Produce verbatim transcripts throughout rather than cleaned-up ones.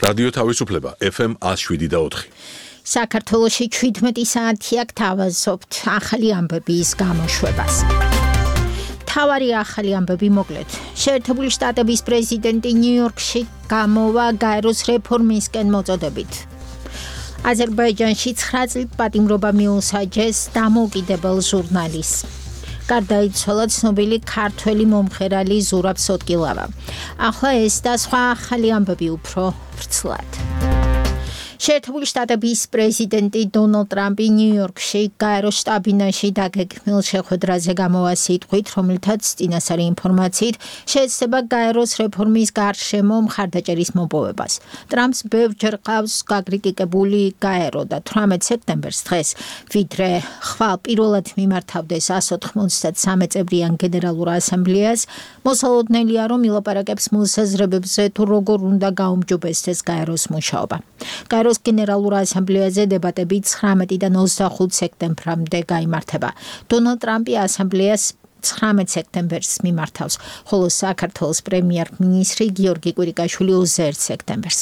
რადიო თავისუფლება ეფ ემ one oh seven და four. საქართველოში შვიდმეტი საათი აქ თავაზობთ ახალი ამბების გამოშვებას. თავარი ახალი ამბები მოკლედ. შეერთებული შტატების პრეზიდენტი ნიუ-იორკში გამოვა გაეროს რეფორმისკენ მოწოდებით. აზერბაიჯანში nine წლით პატიმრობა მიუსაჯეს დამოუკიდებელ ჟურნალისტს. გარდაიცვალა ცნობილი ქართველი მომღერალი ზურაბ სოტკილავა. ახლა ეს და სხვა ახალი ამბები უფრო ვრცლად. შეერთებული შტატების პრეზიდენტი დონალდ ტრამპი ნიუ-იორკში გაეროს შტაბ-ბინაში დაგეგმილ შეხვედრაზე გამოვა სიტყვით, რომელთაც წინასწარი ინფორმაციით შეეცდება გაეროს რეფორმის გარშემო მხარდაჭერის მოპოვებას. ტრამპს ბევრჯერ ყავს გაკრიტიკებული გაერო და eighteen სექტემბერს დღეს, ვიდრე ხვალ პირველად მიმართავდეს one hundred ninety-three წევრიან გენერალურ ასამბლეას, მოსალოდნელია, რომ ილაპარაკებს მოსაზრებებზე თუ როგორ უნდა გაუმჯობესდეს გაეროს მუშაობა. გაეროს გენერალურ ასამბლეაზე დებატები nineteen-დან twenty-five სექტემბრამდე გაიმართება. დონალდ ტრამპი ასამბლეას nineteen სექტემბერს მიმართავს, ხოლო საქართველოს პრემიერ-მინისტრი გიორგი კვირიკაშვილი twenty-first სექტემბერს.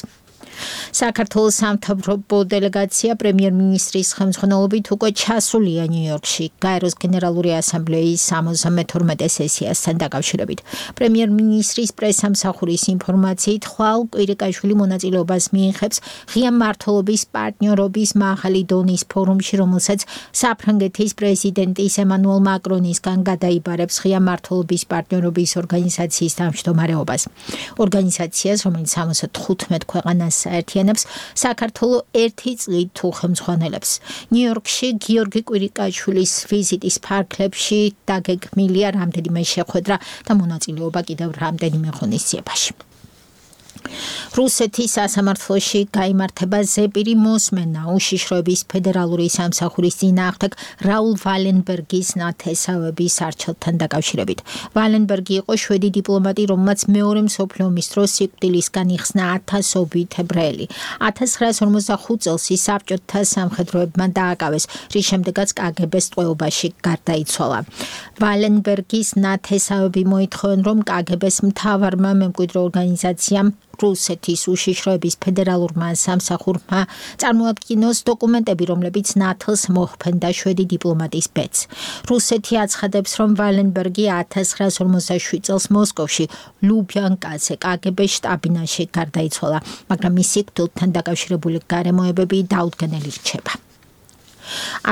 საქართველოს სამთავრობო დელეგაცია პრემიერ-მინისტრის ხელმძღვანელობით უკვე ჩასულია ნიუ-იორკში გაეროს გენერალური ასამბლეის sixty-two სესიასთან დაკავშირებით. პრემიერ-მინისტრის პრესამსახურის ინფორმაციით, ხვალ კვირიკაშვილი მონაწილეობას მიიღებს ღია მმართველობის პარტნიორობის მაღალი დონის ფორუმში, რომელსაც საფრანგეთის პრეზიდენტის ემანუელ მაკრონისგან გადაიბარებს ღია მმართველობის პარტნიორობის ორგანიზაციის თავმჯდომარეობას. ორგანიზაციას, რომელიც seventy-five ქვეყანას საერთიანებს, საქართველო ერთი წლით თუ ხელმძღვანელებს. ნიუ-იორკში გიორგი კვირიკაშვილის ვიზიტის ფარგლებში დაგეგმილია რამდენიმე შეხვედრა და მონაწილეობა კიდევ რამდენიმე ღონისძიებაში. რუსეთის სასამართლოში გაიმართება ზეპირი მოსმენა უშიშროების ფედერალური სამსახურის წინააღმდეგ რაულ ვალენბერგის ნათესავების არჩევთან დაკავშირებით. ვალენბერგი იყო შვედი დიპლომატი, რომელმაც მეორე მსოფლიო ომის დროს სიკვდილისგან იხსნა ათასობით ებრაელი. nineteen forty-five წელს ის საბჭოთა სამხედროებმა დააკავეს, რის შემდეგაც კაგებეს ტყვეობაში გარდაიცვალა. ვალენბერგის ნათესავები მოითხოვენ, რომ კაგების მთავარმა მემკვიდრე ორგანიზაციამ რუსეთის უშიშროების ფედერალურმა სამსახურმა წარმოადგინოს დოკუმენტები, რომლებიც ნათლს მოჰფენდა შვედი დიპლომატის ბედს. რუსეთი აცხადებს, რომ ვალენბერგი nineteen forty-seven წელს მოსკოვში ლუბიანკაზე კაგების შტაბ-ბინაში გარდაიცვალა, მაგრამ მის სიკვდილთან დაკავშირებული გარემოებები დაუდგენელი რჩება.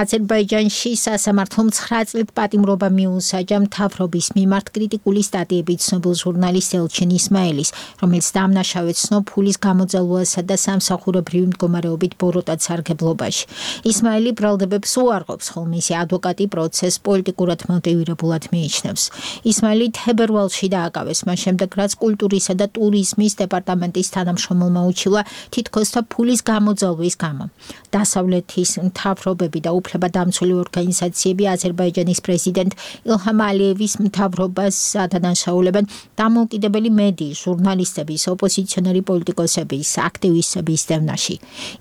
აზერბაიჯანში სასამართლომ nine წლით პატიმრობა მიუსაჯა მთავრობის მიმართ კრიტიკული სტატიებით ცნობილ ჟურნალისტ ელჩინ ისმაილის, რომელიც დამნაშავედ ცნო ფულის გამოძალვასა და სამსახურებრივი მდგომარეობით ბოროტად სარგებლობაში. ისმაილი ბრალდებებს უარყოფს, ხოლო მისი ადვოკატი პროცესს პოლიტიკურად მოტივირებულად მიიჩნევს. ისმაილი თებერვალში დააკავეს, მას შემდეგ რაც კულტურისა და ტურიზმის დეპარტამენტის თანამშრომელმა უჩივლა თითქოს და ფულის გამოძალვის გამო. დასავლეთის მთავრობა და უფლებადამცველი ორგანიზაციები აზერბაიჯანის პრეზიდენტ ილჰამ ალიევის მთავრობას ადანაშაულებენ დამოუკიდებელი მედიის, ჟურნალისტების, ოპოზიციონერი პოლიტიკოსების, აქტივისტების დევნაში.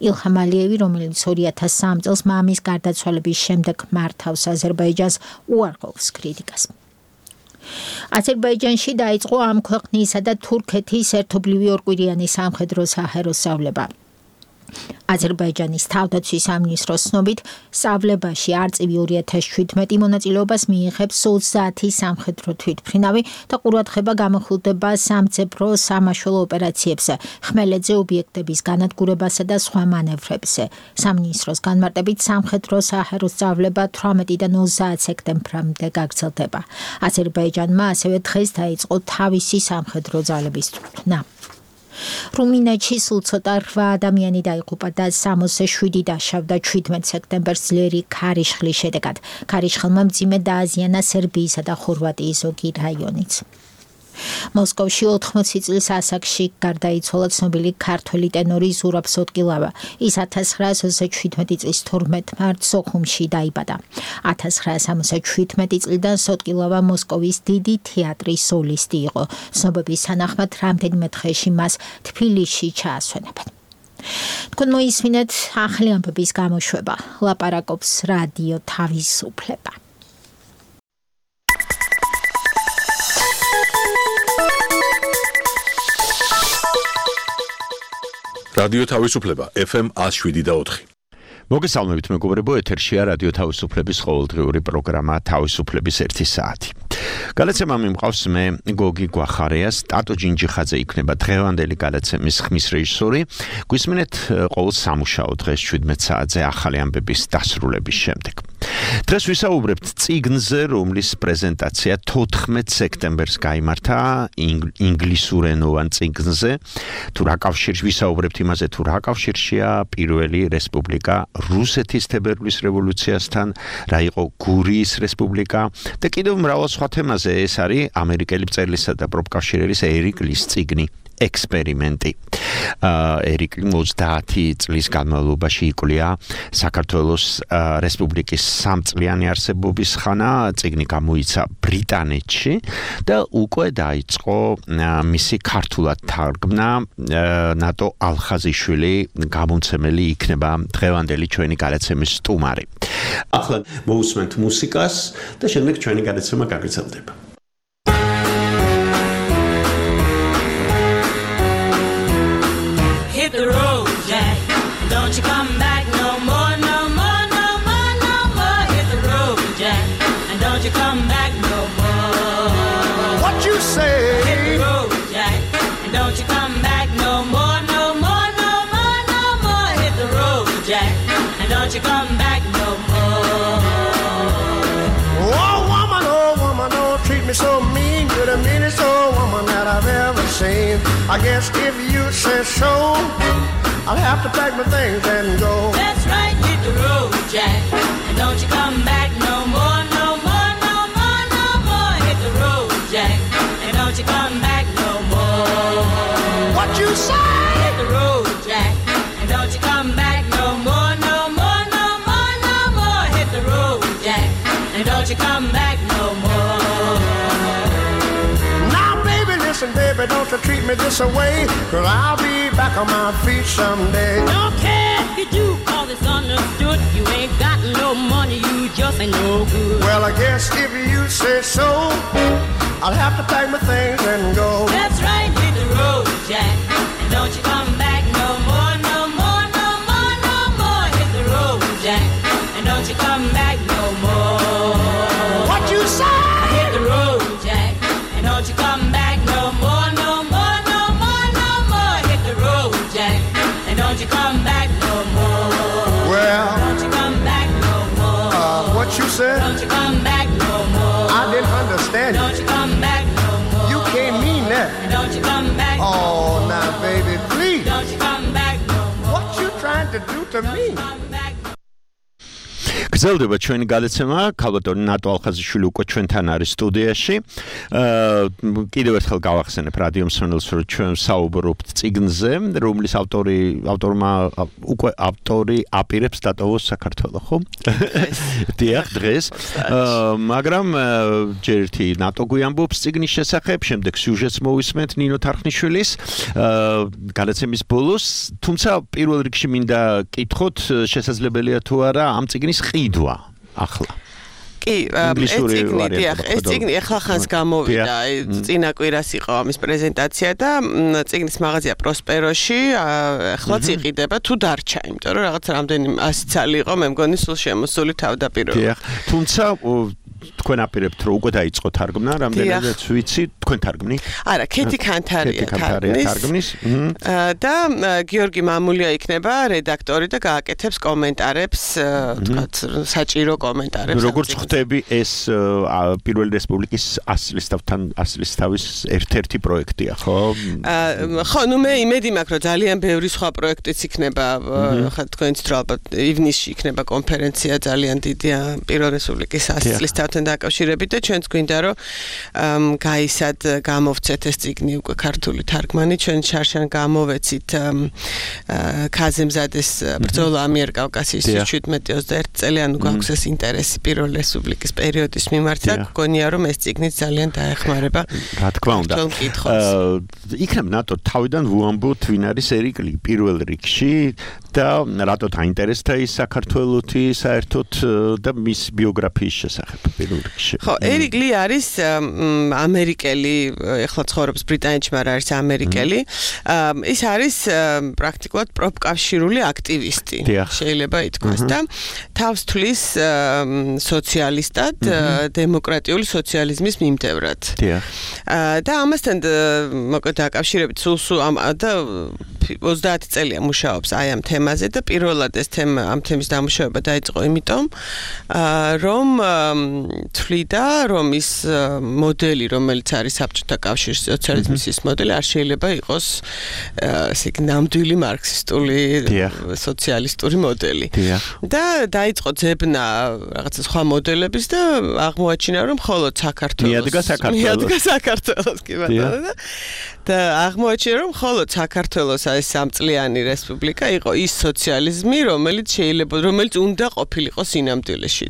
ილჰამ ალიევი, რომელიც two thousand three წელს მამის გარდაცვალების შემდეგ მართავს აზერბაიჯანს, უარყოფს კრიტიკას. აზერბაიჯანში დაიწყო ამ ქვეყნისა და თურქეთის ერთობლივი ორკვირიანი სამხედრო საჰაერო სწავლება. აზერბაიჯანის თავდაცვის სამინისტროს ცნობით, სწავლებაში არწივი two thousand seventeen მონაწილეობას მიიღებს twenty სამხედრო თვითმფრინავი და ყურადღება გამოხილდება სამძებრო სამაშველო ოპერაციებზე, ხმელეთზე ობიექტების განადგურებასა და სხვა მანევრებზე. სამინისტროს განმარტებით სამხედრო საჰაერო სწავლება eighteen-დან twenty სექტემბრამდე გაგრძელდება. აზერბაიჯანმა ასევე დღეს დაიწყო თავისი სამხედრო ძალების თვითმფრინა. რუმინეთში სულ ცოტა eight ადამიანი დაიღუპა და sixty-seven დაშავდა seventeen სექტემბერს ძლიერი ქარიშხლის შედეგად. ქარიშხალმა მძიმე დააზიანა სერბიისა და ხორვატიის ზოგი რაიონიც. მოსკოვში eighty წლის ასაკში გარდაიცვალა ცნობილი ქართველი ტენორი ზურაბ სოტკილავა. ის nineteen seventy-seven წლის twelve მარტს სოხუმში დაიბადა. nineteen seventy-seven წლიდან სოტკილავა მოსკოვის დიდი თეატრის სოლისტი იყო. ცნობების თანახმად რამდენიმე დღეში მას თბილისში ჩაასვენებენ. თქვენ მოისმინეთ ახალი ამბების გამოშვება. ლაპარაკობს რადიო თავისუფლება. რადიო თავისუფლება F M one oh seven point four. მოგესალმებით მეგობრებო, ეთერშია რადიო თავისუფლების ყოველდღიური პროგრამა თავისუფლების ერთი საათი. გადაცემა მიმყავს მე გოგი გვახარიას, ტატო ჯინჯიხაძე იქნება დღევანდელი გადაცემის ხმის რეჟისორი. გვისმენთ ყოველ სამუშაო დღეს შვიდმეტ საათზე ახალი ამბების დასრულების შემდეგ. დღეს ვისაუბრებთ წიგნზე, რომლის პრეზენტაცია თოთხმეტ სექტემბერს გაიმართა ინგლისურენოვან წიგნზე. თუ რა კავშირში ვისაუბრებთ იმაზე, თუ რა კავშირშია პირველი რესპუბლიკა რუსეთის თებერვლის რევოლუციასთან, რა იყო გურიის რესპუბლიკა და კიდევ მრავალ სხვა თემაზე. ეს არის ამერიკელი მწერლისა და პროფკავშირერის ერიკ ლის წიგნი ექსპერიმენტი. ერიკ ლი ოცდაათი წლის განმავლობაში იკვლია საქართველოს რესპუბლიკის სამწლიანი არსებობის ხანა. წიგნი გამოიცა ბრიტანეთში და უკვე დაიწყო მისი ქართულად თარგმნა. ნატო ალხაზიშვილი გამომცემელი იქნება დღევანდელი ჩვენი გადაცემის სტუმარი. ახლა მოусმენთ მუსიკას და შემდეგ ჩვენი გადაცემა გაგრძელდება. Hit the road, Jack. Don't you come back no more, no more, no more, no more. Hit the road, Jack. And don't you come back no more. What you say? Hit the road, Jack. And don't you come back no more, no more, no more, no more. Hit the road, Jack. And don't you come back no more. Oh woman, oh woman, don't treat me so mean. You're the meanest old woman that I've ever seen. I guess if you say so, I'll have to pack my things and go. That's right, hit the road, Jack. And don't you come back no more, no more, no more, no more. Hit the road, Jack. And don't you come back no more. What you say? Hit the road, Jack. And don't you come back no more, no more, no more, no more. Hit the road, Jack. And don't you come back no more. Now baby, listen baby, don't you treat me this away, 'cause I'll be back on my feet someday. Don't care if you do, call this understood. You ain't got no money, you just ain't no good. Well, I guess if you say so, I'll have to pack my things and go. That's right, hit the road, Jack. And don't you come back no more, no more, no more, no more. Hit the road, Jack. And don't you come back no more. What you say? Hit the road, Jack. And don't you come back no more, no more, no more, no more. Hit the road, Jack. And don't you come back no more. Well, Don't you come back no more. uh, what you said? Don't you come back no more. I didn't understand Don't you. you come back no more. You can't mean that. Don't you come back no more. Oh, now baby, please. Don't you come back no more. What you trying to do to me? Come back. გრძელდება ჩვენი გადაცემა. ქალბატონი ნატო ალხაზიშვილი უკვე ჩვენთან არის სტუდიაში. აა კიდევ ერთხელ გავახსენებ რადიო მსმენელს, რომ ჩვენ საუბრობთ წიგნზე, რომლის ავტორი ავტორმა უკვე ავტორი აპირებს დატოვოს საქართველოს, ხო? დიახ, დღეს. აა მაგრამ ჯერ ერთი ნატო გვიამბობს წიგნის შესახებ, შემდეგ სიუჟეტს მოვისმენთ ნინო თარხნიშვილის აა გადაცემის ბოლოს, თუმცა პირველ რიგში მინდა კითხოთ, შესაძლებელია თუ არა ამ წიგნის ყიდვა ახლა. კი, ეს წიგნი, დიახ, ეს წიგნი ახლა ხანს გამოვიდა, წინა კვირას იყო ამის პრეზენტაცია და წიგნის მაღაზია პროსპეროში ახლაც იყიდება თუ დარჩა, იმიტომ რომ რაღაც რამდენი ასი წელი იყო, მე მგონი სულ შემოსული თავდაპირველად. დიახ, თუმცა თქვენ აპირებთ რომ უკვე დაიწყო თარგმნა, რამდენადაც ვიცი, თქვენ თარგმნი? არა, ქეთი ქანთარია თარგმნის და გიორგი მამულია იქნება რედაქტორი და გააკეთებს კომენტარებს, თქვათ, საჭირო კომენტარებს. როგორც ხვდები, ეს პირველი რესპუბლიკის ასლისთავთან ასლისთავის ერთ-ერთი პროექტია, ხო? ხო, ნუ მე იმედი მაქვს, რომ ძალიან ბევრი სხვა პროექტიც იქნება, ხა თქვენც რო ალბათ ივნისში იქნება კონფერენცია ძალიან დიდი პირველ რესპუბლიკის ასლისთავთან დაკავშირებით და ჩვენც გვინდა რომ გაისად გამოვცეთ ეს წიგნი უკვე ქართული თარგმანი, ჩვენ შარშან გამოვეცით ქაზემზადეს ბრძოლა ამიერკავკასიის შვიდმეტი ოცდაერთი წელი, ანუ გვაქვს ეს ინტერესი პირველ რესპუბლიკის პერიოდის მიმართ და გქონია რომ ეს წიგნი ძალიან დაეხმარება. რა თქმა უნდა. იქნებ ნატო თავიდან ვუამბოთ ვინ არის ერიკ ლი პირველ რიგში და რატო დაინტერესდა ის საქართველოთი საერთოდ და მის ბიოგრაფიის შესახებ პირველ რიგში. ხო, ერიკ ლი არის ამერიკელი, ეხლა ცხოვრობს ბრიტანეთში, მაგრამ არის ამერიკელი. ის არის პრაქტიკულად პროფკავშირული აქტივისტი. შეიძლება ითქვას და თავს თვლის სოციალისტად, დემოკრატიული სოციალიზმის მიმდევრად. და ამასთან მოკლედ დაკავშირებით სულ ამ და ოცდაათი წელია მუშაობს აი ამ თემაზე და პირველად ეს თემა ამ თემის დამუშავება დაიწყო იმიტომ რომ თვლიდა რომ ის მოდელი რომელიც არის საბჭოთა კავშირის სოციალიზმის ის მოდელი არ შეიძლება იყოს ესე იგი ნამდვილი მარქსისტული სოციალისტური მოდელი და დაიწყო ძებნა რაღაცა სხვა მოდელების და აღმოაჩინა რომ მხოლოდ საქართველოს მიადგა საქართველოს მიადგა საქართველოს კი ბატონო და აღმოაჩინა რომ მხოლოდ საქართველოს ეს სამწლიანი რესპუბლიკა იყო ის სოციალიზმი რომელიც შეიძლება რომელიც უნდა ყოფილიყო სინამდვილეში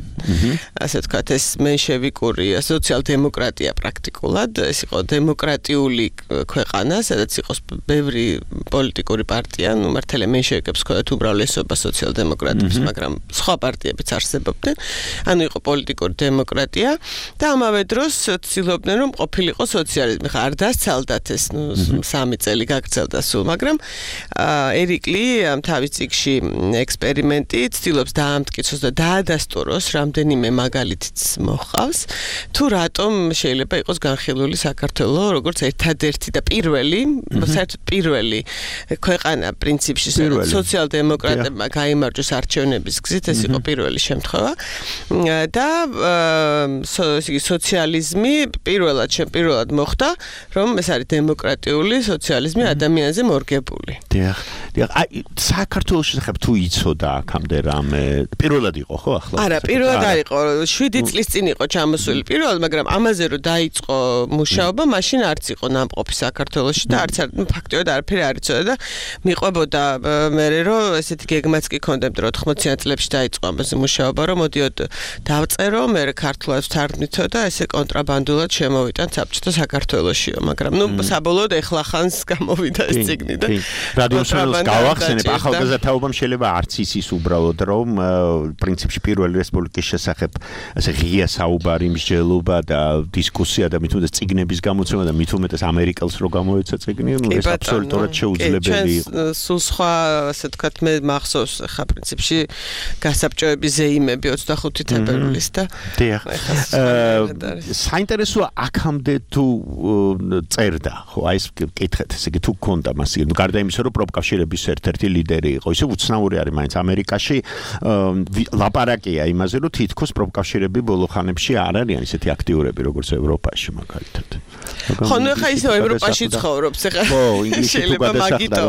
ასე ვთქვათ ეს მენშევიკური სოციალ-დემოკრატია პრაქტიკულად ეს იყო დემოკრატიული ქვეყანა სადაც იყო ბევრი პოლიტიკური პარტია ნუ მართალია მენშევიკებს ჰქონდათ უმრავლესობა სოციალ-დემოკრატებს მაგრამ სხვა პარტიებიც არსებობდნენ ანუ იყო პოლიტიკური დემოკრატია და ამავე დროს ცდილობდნენ რომ ყოფილიყო სოციალიზმი ხა არ დასცალდათ ეს ნუ სამი წელი გაგრძელდა სულ მაგრამ ერიკ ლი თავის წიგნში ექსპერიმენტი ცდილობს დაამტკიცოს და დაადასტუროს რამდენიმე მაგალითიც მოჰყავს თუ რატომ შეიძლება იყოს განხილული საქართველო როგორც ერთადერთი და პირველი საერთოდ პირველი ქვეყანა პრინციპში სოციალ-დემოკრატებმა გაიმარჯვეს არჩევნების გზით ეს იყო პირველი შემთხვევა და სოციალიზმი პირველად პირველად მოხდა რომ ეს არის დემოკრატიული სოციალიზმი ადამიანზე მორგებული. დიახ, დიახ, აი საქართველოს შესახებ თუ იცოდა აქამდე რამე პირველად იყო ხო ახლა? არა, პირველად არ იყო, შვიდი წლის წინ იყო ჩამოსული პირველად, მაგრამ ამაზე რომ დაიწყო მუშაობა, მაშინ არც იყო ნამყოფი საქართველოში და არც ფაქტობრივად არაფერი არ იცოდა და მიყვებოდა მე რომ ესეთი გეგმაც კი ქონდემ რომ ოთხმოციან წლებში დაიწყო ამაზე მუშაობა, რომ მოდიოდ დავწერო, მე ქართულად ვთარგმნითო და ესე კონტრაბანდულად შემოვიტან საბჭოთა საქართველოშიო, მაგრამ ნუ საბოლოოდ ეხლა ხანს გამოვიდა ეს წიგნი და რადიოსმენელს გავახსენებ ახალგაზრდაობამ შეიძლება არც იცის უბრალოდ რომ პრინციპში პირველი რესპუბლიკის შესახებ ასე ღია საუბარი მსჯელობა და დისკუსია და მით უმეტეს წიგნების გამოცემა და მით უმეტეს ამერიკელს რო გამოეცა წიგნი ნუ ეს აბსოლუტურად შეუძლებელი იყო სულ სხვა ასე ვთქვათ მე მახსოვს ხა პრინციპში გასაბჭოების ზეიმები ოცდახუთი თებერვლის და დიახ საინტერესოა აქამდე თუ წერდა ხო აი ეს კითხეთ ესე იგი თუ გქონდა მას ნუ გარდა იმისა რომ პროფკავშირების ერთ-ერთი ლიდერი იყო ისე უცნაური არის მაინც ამერიკაში ლაპარაკია იმაზე რომ თითქოს პროფკავშირები ბოლო ხანებში არ არიან ისეთი აქტიურები როგორც ევროპაში მაგალითად ხო ნუ ხა ისე ევროპაში ცხოვრობს ხა ხო ინგლისში თუ გადასახდა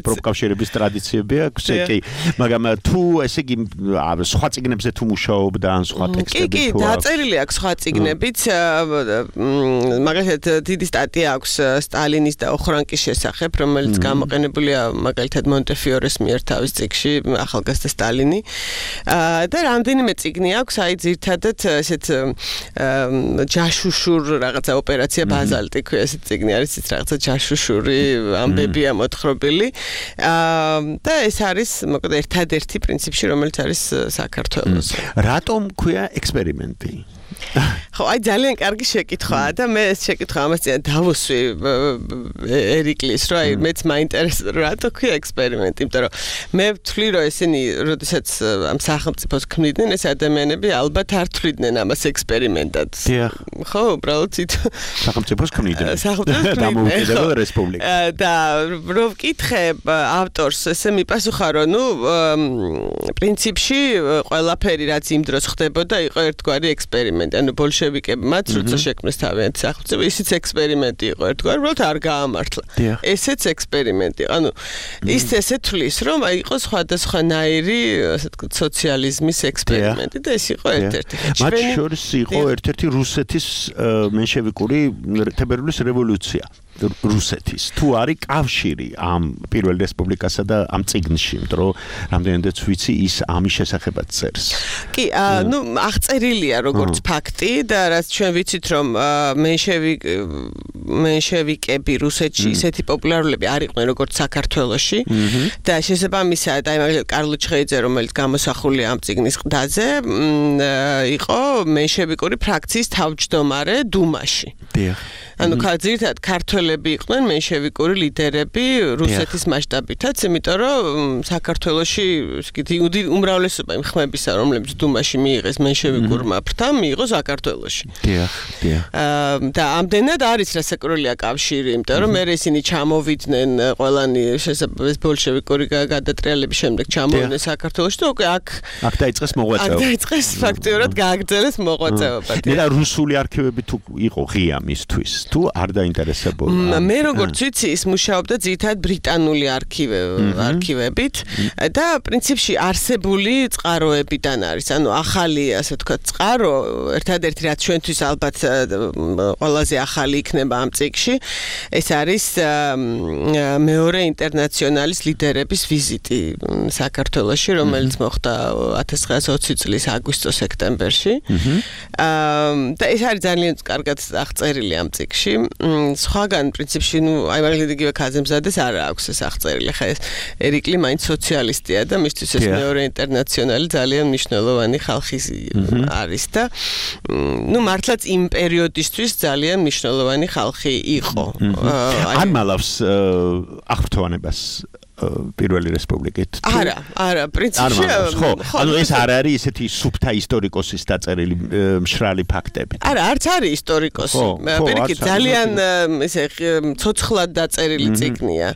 პროფკავშირების ტრადიციები აქვს კი მაგრამ თუ ესე იგი სხვა წიგნებზე თუ მუშაობდა ან სხვა ტექსტები კი კი დაწერილი აქვს სხვა წიგნებიც მაგალითად დიდი სტატია აქვს სტალინის და ოხრანკის შესახებ რომელიც გამოყენებულია მაგალითად მონტეფიორეს მიერ თავის წიგნში ახალგაზრდა სტალინი და რამდენიმე წიგნი აქვს აი ძირთადად ესეთ ჯაშუშურ რაღაცა ოპერაცია ბაზალტი ქვია ეს წიგნი არის ის რაღაცა ჯაშუშური ამბებია მოთხრობილი და ეს არის მოკლედ ერთადერთი პრინციპში რომელიც არის საქართველოს რატომ ქვია ექსპერიმენტი ხო აი ძალიან კარგი შეკითხვაა და მე ეს შეკითხვა ამას წინ დავუსვი ერიკ ლის რომ აი მეც მაინტერესებს რატო ქვია ექსპერიმენტი იმიტომ რომ მე ვთვლი რომ ესენი როდესაც ამ სახელმწიფოს ქმნიდნენ ეს ადამიანები ალბათ არ თვლიდნენ ამას ექსპერიმენტად ხო უბრალოდ სახელმწიფოს ქმნიდნენ სახელმწიფოს დამოუკიდებელ რესპუბლიკას და რომ ვკითხებ ავტორს ესე მიპასუხა რომ ნუ პრინციპში ყველაფერი რაც იმ დროს ხდებოდა იყო ერთგვარი ექსპერიმენტი ანუ ბოლშევიკებმაც როცა შექმნეს თავიანთი სახელმწიფო ისიც ექსპერიმენტი იყო ერთგვარი უბრალოდ არ გაამართლა ესეც ექსპერიმენტი ანუ ის ესე თვლის რომ აი იყო სხვადასხვანაირი ასე ვთქვათ სოციალიზმის ექსპერიმენტი და ეს იყო ერთ-ერთი მათ შორის იყო ერთ-ერთი რუსეთის მენშევიკური თებერვლის რევოლუცია რუსეთის თუ არის კავშირი ამ პირველ რესპუბლიკასა და ამ წიგნში იმიტომ რომ რამდენადაც ვიცი ის ამის შესახებაც წერს კი ნუ აღწერილია როგორც ფაქტი და რაც ჩვენ ვიცით რომ მენშევიკ მენშევიკები რუსეთში ისეთი პოპულარულები არ იყვნენ როგორც საქართველოში და შესაბამისად აი მაგალითად კარლო ჩხეიძე რომელიც გამოსახულია ამ წიგნის ყდაზე იყო მენშევიკური ფრაქციის თავმჯდომარე დუმაში. დიახ. ანუ ძირითადად ქართველები იყვნენ მენშევიკური ლიდერები რუსეთის მასშტაბითაც, იმიტომ რომ საქართველოში ისეთი უმრავლესობა იმ ხმებისა, რომლებიც დუმაში მიიღეს მენშევიკურმა ფრთამ, მიიღო საქართველოში. დიახ, დიახ. და ამდენად არის რასაკურველია კავშირი, იმიტომ რომ მე ისინი ჩამოვიდნენ ყველანი შესაძლოა ბოლშევიკური გადატრიალების შემდეგ ჩამოვიდნენ საქართველოში და უკვე აქ აქ დაიწყეს მოღვაწეობა. აქ დაიწყეს ფაქტიურად გააგრძელეს მოღვაწეობა. და რუსული არქივები თუ იყო ღია მისთვის თუ არ დაინტერესებულა. მე როგორც ვიცი, ის მუშაობდა ძირითადად ბრიტანული არქივებით და პრინციპში არსებული წყაროებიდან არის. ანუ ახალი, ასე ვთქვათ, წყარო, ერთადერთი რაც ჩვენთვის ალბათ ყველაზე ახალი იქნება ამ წიგნში, ეს არის მეორე ინტერნაციონალის ლიდერების ვიზიტი საქართველოში, რომელიც მოხდა ათას ცხრაასი ოცი წლის აგვისტო-სექტემბერში. და ეს არის ძალიან კარგად აღწერილი ამ წიგნში. სხვაგან პრინციპში ნუ აი მაგალითად იგივე ქაზემზადეს არ აქვს ეს აღწერილი. ხა ეს ერიკლი მაინც სოციალისტია და მისთვის ეს მეორე ინტერნაციონალი ძალიან მნიშვნელოვანი ხალხი არის და ნუ მართლაც იმ პერიოდისთვის ძალიან მნიშვნელოვანი ხალხი იყო. არ მალავს აღფრთოვანებას პირველი რესპუბლიკით. არა, არა, პრინციპში ხო, ანუ ეს არ არის اسეთი სუფთა ისტორიკოსის დაწერილი მშრალი ფაქტები. არა, არც არის ისტორიკოსი. პირიქით ძალიან ესე ცოცხლად დაწერილი წიგნია.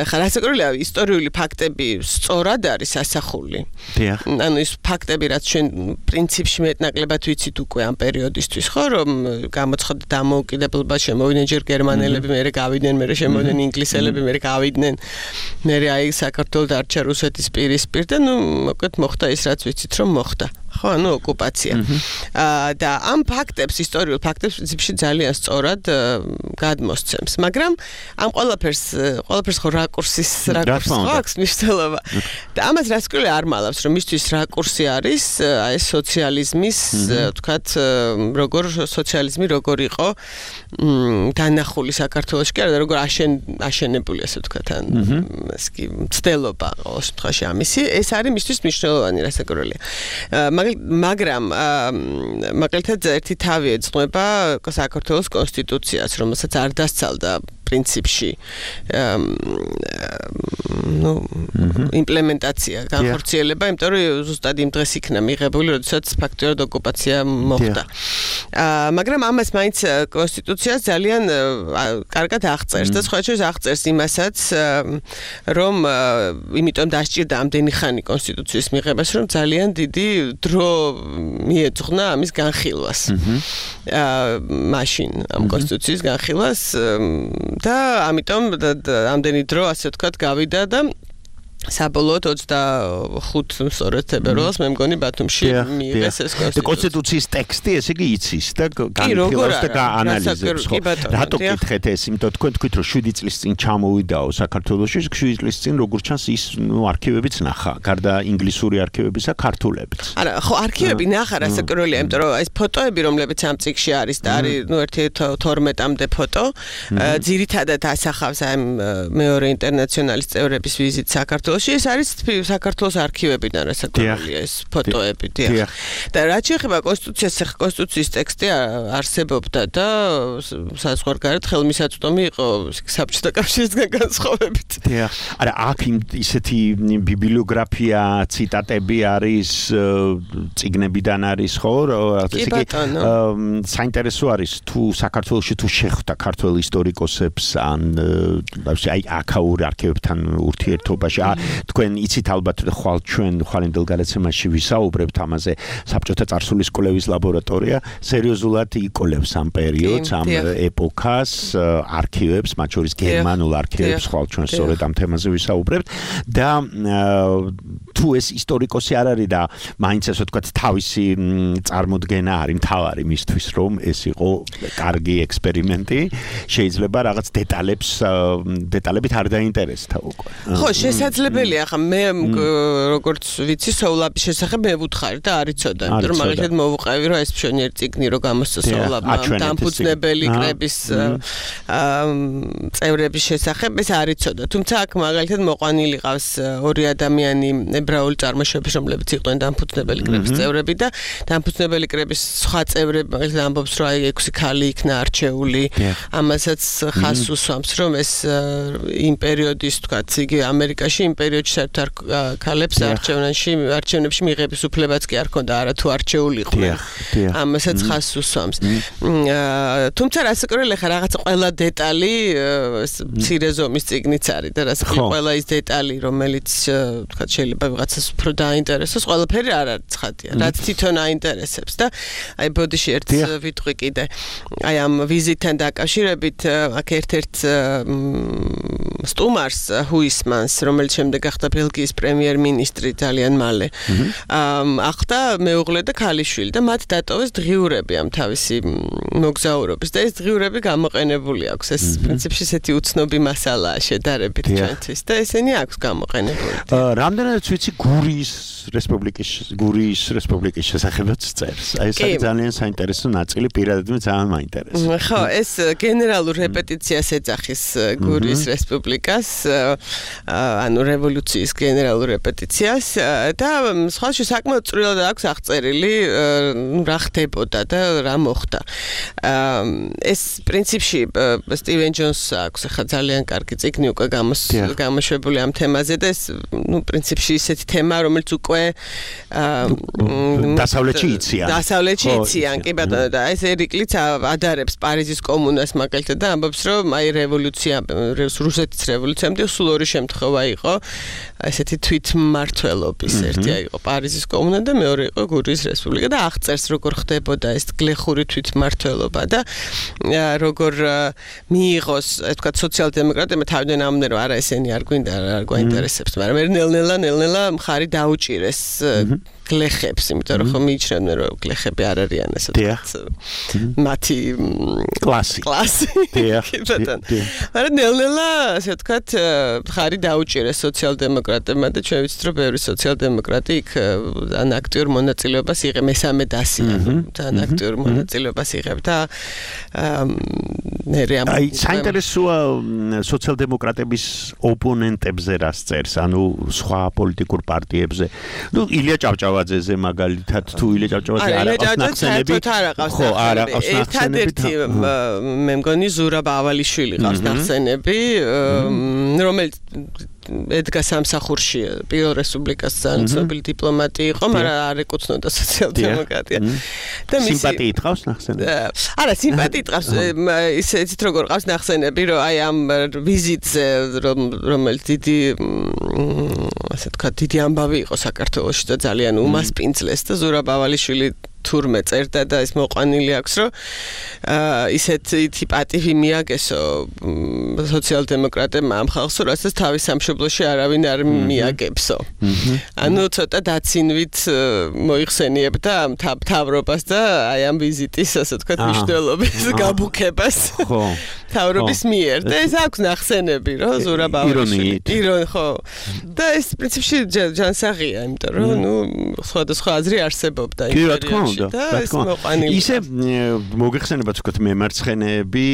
ხა რასაკურველია ისტორიული ფაქტები სწორად არის ასახული. დიახ. ანუ ის ფაქტები რაც ჩვენ პრინციპში მეტნაკლებად ვიცით უკვე ამ პერიოდისთვის, ხო, რომ გამოცხადდა დამოუკიდებლობა, შემოვიდნენ ჯერ გერმანელები, მერე გავიდნენ, მერე შემოვიდნენ ინგლისელები, მერე გავიდნენ მერე აი საქართველოს დარჩა რუსეთის პირისპირ და ნუ მოკლედ მოხდა ის რაც ვიცით რომ მოხდა. ხო, ანუ ოკუპაცია. და ამ ფაქტებს, ისტორიულ ფაქტებს პრინციპში ძალიან სწორად გადმოსცემს, მაგრამ ამ ყველაფერს ყველაფერს ხო რაკურსის რაკურსი აქვს მნიშვნელობა. და ამას რასკვლელი არ მალავს, რომ მისთვის რაკურსი არის აი სოციალიზმის, ვთქვათ, როგორ სოციალიზმი როგორ იყო დანახული საქართველოში, კი არა და როგორ აშენებული, ასე ვთქვათ, ან ეს კი მცდელობა ყოველ შემთხვევაში ამისი, ეს არის მისთვის მნიშვნელოვანი რასაკურველია. მაგრამ მაგალითად ერთი თავი ეძღვნება საქართველოს კონსტიტუციას, რომელსაც არ დასცალდა პრინციპში ნუ იმპლემენტაცია, განხორციელება, იმიტომ რომ ზუსტად იმ დღეს იქნა მიღებული, როდესაც ფაქტიურად ოკუპაცია მოხდა. მაგრამ ამას მაინც კონსტიტუციას ძალიან კარგად აღწერს და სხვა შორის აღწერს იმასაც, რომ იმიტომ დასჭირდა ამდენი ხანი კონსტიტუციის მიღებას, რომ ძალიან დიდი დრო მიეძღვნა ამის განხილვას. მაშინ ამ კონსტიტუციის განხილვას და ამიტომ ამდენი დრო ასე ვთქვათ გავიდა და საბოლოოდ ოცდახუთ სწორედ თებერვალს მე მგონი ბათუმში მიიღეს ეს კონსტიტუცია. კონსტიტუციის ტექსტი ესე იგი იცის და განხილავს და გაანალიზებს. ხო, რატო გითხეთ ეს? იმიტომ თქვენ თქვით რომ შვიდი წლის წინ ჩამოვიდაო საქართველოში, შვიდი წლის წინ როგორც ჩანს ის ნუ არქივებიც ნახა, გარდა ინგლისური არქივებისა, ქართულებიც. არა, ხო, არქივები ნახა რასაკურველია, იმიტომ რომ ეს ფოტოები რომლებიც ამ წიგნში არის და არის ნუ ერთი თორმეტამდე ფოტო, ძირითადად ასახავს ამ მეორე ინტერნაციონალის წევრების ვიზიტს საქართველოში. ეს არის საქართველოს არქივებიდან რასაკურველია ეს ფოტოები, დიახ. და რაც შეეხება კონსტიტუციას, კონსტიტუციის ტექსტი არსებობდა და საზღვარგარეთ ხელმისაწვდომი იყო საბჭოთა კავშირისგან განსხვავებით. დიახ. არა, აქ ისეთი ბიბლიოგრაფია, ციტატები არის, წიგნებიდან არის, ხო? კი ბატონო. საინტერესო არის თუ საქართველოში თუ შეხვდა ქართველ ისტორიკოსებს ან აი აქაურ არქივებთან ურთიერთობაში თქვენ იცით ალბათ ხვალ ჩვენ ხვალინდელ გადაცემაში ვისაუბრებთ ამაზე საბჭოთა წარსულის კვლევის ლაბორატორია სერიოზულად იკვლევს ამ პერიოდს ამ ეპოქას არქივებს მათ შორის გერმანულ არქივებს ხვალ ჩვენ სწორედ ამ თემაზე ვისაუბრებთ და თუ ეს ისტორიკოსი არ არის და მაინც ასე ვთქვათ თავისი წარმოდგენა არის მთავარი მისთვის რომ ეს იყო კარგი ექსპერიმენტი შეიძლება რაღაც დეტალებს დეტალებით არ დაინტერესდა უკვე ხო შესაძლებელია ხა მე როგორც ვიცი სოულაბის შესახებ მე ვუთხარი და არიცოდა იმიტომ რომ მაგალითად მოვუყევი რომ ეს მშვენიერი წიგნი რო გამოსცა სოულაბმა დამფუძნებელი კრების წევრების შესახებ ეს არიცოდა თუმცა აქ მაგალითად მოყვანილი ყავს ორი ადამიანი ებრაული წარმოშობის რომლებიც იყვნენ დამფუძნებელი კრების წევრები და დამფუძნებელი კრების სხვა წევრები მაგალითად ამბობს რომ აი ექვსი ქალი იქნა არჩეული ამასაც ხას უსვამს რომ ეს იმ პერიოდის თქვათ იგი ამერიკაში იმ პერიოდში საერთოდ ქალებს არჩევნებში არჩევნებში მიღების უფლებაც კი არ ჰქონდა არა თუ არჩეული იყვნენ ამასაც ხას უსვამს თუმცა რასაკვირველია ხა რაღაც ყველა დეტალი მცირე ზომის წიგნიც არის და რასაკვირველია ყველა ის დეტალი რომელიც თქვათ შეიძლება ვიღაცას უფრო დაინტერესოს ყველაფერი არ არის ცხადია რაც თვითონ აინტერესებს და აი ბოდიში ერთ ვიტყვი კიდე აი ამ ვიზიტთან დაკავშირებით აქ ერთ-ერთ სტუმარს ჰუისმანს რომელიც შემდეგ გახდა ბელგიის პრემიერ-მინისტრი ძალიან მალე ახდა მეუღლე და ქალიშვილი და მათ დატოვეს დღიურები ამ თავისი მოგზაურობის და ეს დღიურები გამოყენებული აქვს ეს პრინციპში ესეთი უცნობი მასალაა შედარებით ჩვენთვის და ესენი აქვს გამოყენებული რამდენადაც ვიცი გურიის რესპუბლიკის გურიის რესპუბლიკის შესახებაც წერს აი ეს ძალიან საინტერესო ნაწილი პირადად მე ძალიან მაინტერესებს ხო ეს გენერალურ რეპეტიციას ეძახის გურიის რესპუბლიკას ანუ რევოლუციის გენერალურ რეპეტიციას და სხვაში საკმაოდ წვრილად აქვს აღწერილი რა ხდებოდა და რა მოხდა ეს პრინციპში სტივენ ჯონს აქვს ახლა ძალიან კარგი წიგნი უკვე გამოშვებული ამ თემაზე და ეს ნუ პრინციპში ისეთი თემა რომელიც უკვე დასავლეთში იციან დასავლეთში იციან კი ბატონო და ეს ერიკლიც ადარებს პარიზის კომუნას მაგალითად და ამბობს რომ აი რევოლუცია რუსეთის რევოლუციამდე სულ ორი შემთხვევა იყო ესეთი თვითმმართველობის ერთი იყო პარიზის კომუნა და მეორე იყო გურიის რესპუბლიკა და აღწერს როგორ ხდებოდა ეს გლეხური თვითმმართველობა და როგორ მიიღოს ეს თქვა სოციალ-დემოკრატებმა თავიდან ამბობდნენ რომ არა ესენი არ გვინდა არ გვაინტერესებს მაგრამ ნელ-ნელა ნელ-ნელა მხარი დაუჭირეს გლეხებს, იმიტომ რომ ხომ მიიჩნევდნენ რომ გლეხები არ არიან ასე ვთქვათ მათი კლასი კლასი მაგრამ ნელ-ნელა ასე ვთქვათ ხარი დაუჭირეს სოციალ-დემოკრატებმა და ჩვენ ვიცით რომ ბევრი სოციალ-დემოკრატი იქ ან აქტიურ მონაწილეობას იღებს მესამე დასიან თან აქტიურ მონაწილეობას იღებს და ნერე ამ აი საინტერესოა სოციალ-დემოკრატების ოპონენტებზე რას წერს ანუ სხვა პოლიტიკურ პარტიებზე ნუ ილია ჭავჭავაძეზე მაგალითად თუ ილია ჭავჭავაძე არ აქვს ნახსენები ხო არ აქვს ნახსენები მე მგონი ზურაბ ავალიშვილი ყავს ნახსენები რომელიც ედგა სამსახურში პირველ რესპუბლიკას ძალიან ცნობილი დიპლომატი იყო, მაგრამ არ ეკუთვნოდა სოციალ-დემოკრატია. და მისი სიმპათიით ყავს ნახსენები. არა, სიმპათიით ყავს ისეთ როგორ ყავს ნახსენები, რომ აი ამ ვიზიტზე რომელიც დიდი ასე თქვა დიდი ამბავი იყო საქართველოში და ძალიან უმასპინძლეს და ზურაბ ავალიშვილი თურმე წერდა და ეს მოყვანილი აქვს რომ ისეთი პატივი მიაგესო სოციალ-დემოკრატებმა ამ ხალხს რასაც თავის სამშობლოში არავინ არ მიაგებსო. ანუ ცოტა დაცინვით მოიხსენიებდა ამ თავრობას და აი ამ ვიზიტის ასე ვთქვათ მნიშვნელობის გაბუქებას. ხო. თავრობის მიერ და ეს აქვს ნახსენები რომ ზურაბ ავალიშვილი ირონი ხო. და ეს პრინციპში ჯანსაღია, იმიტომ რომ ნუ სხვადასხვა აზრი არსებობდა იმპერიაში. ისე მოგეხსენებათ ვთქვათ მემარცხენეები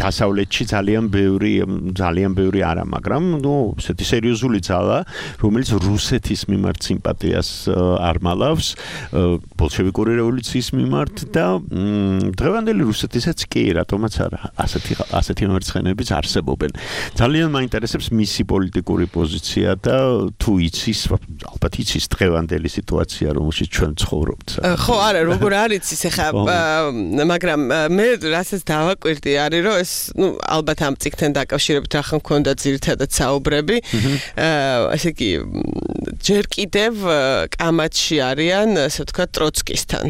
დასავლეთში ძალიან ბევრი ძალიან ბევრი არა მაგრამ ნუ ესეთი სერიოზული ძალა რომელიც რუსეთის მიმართ სიმპათიას არ მალავს ბოლშევიკური რევოლუციის მიმართ და დღევანდელი რუსეთისაც კი რატომაც არა ასეთი ასეთი მემარცხენეებიც არსებობენ ძალიან მაინტერესებს მისი პოლიტიკური პოზიცია და თუ იცის ალბათ იცის დღევანდელი სიტუაცია რომელშიც ჩვენ ცხოვრობთ ხო არა როგორ არის ის ახლა მაგრამ მე რასაც დავაკვირდი არის რომ ეს ნუ ალბათ ამ წიგნთან დაკავშირებით ახლა მქონდა ძირითადად საუბრები ასე კი ჯერ კიდევ კამათში არიან ასე ვთქვათ ტროცკისთან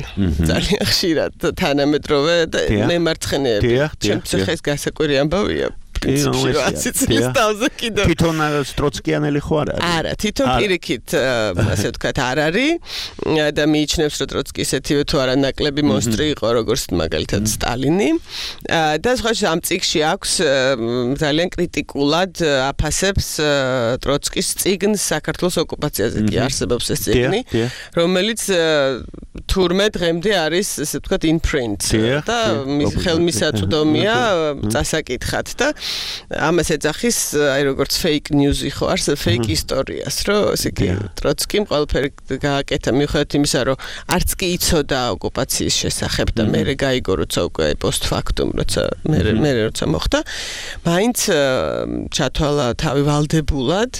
ძალიან ხშირად თანამედროვე და მემარცხენეები ჩემთვის ახლა ეს გასაკვირი ამბავია პრინციპში რა ათი წლის თავზე კიდევ თვითონ ტროცკიანელი ხო არ არის? არა, თვითონ პირიქით ასე ვთქვათ არ არის და მიიჩნევს რომ ტროცკი ესეთივე თუ არა ნაკლები მონსტრი იყო როგორც მაგალითად სტალინი და სხვა ამ წიგნში აქვს ძალიან კრიტიკულად აფასებს ტროცკის წიგნს საქართველოს ოკუპაციაზე კი არსებობს ეს წიგნი რომელიც თურმე დღემდე არის ესე ვთქვათ in print და ხელმისაწვდომია წასაკითხად და ამას ეძახის აი როგორც fake news იყო არს fake ისტორიას რომ ესე იგი ტროცკიმ ყველაფერი გააკეთა მიუხედავად იმისა რომ არც კი იცოდა ოკუპაციის შესახებ და მერე გაიგო როცა უკვე post factum როცა მერე მერე როცა მოხდა მაინც ჩათვალა თავი ვალდებულად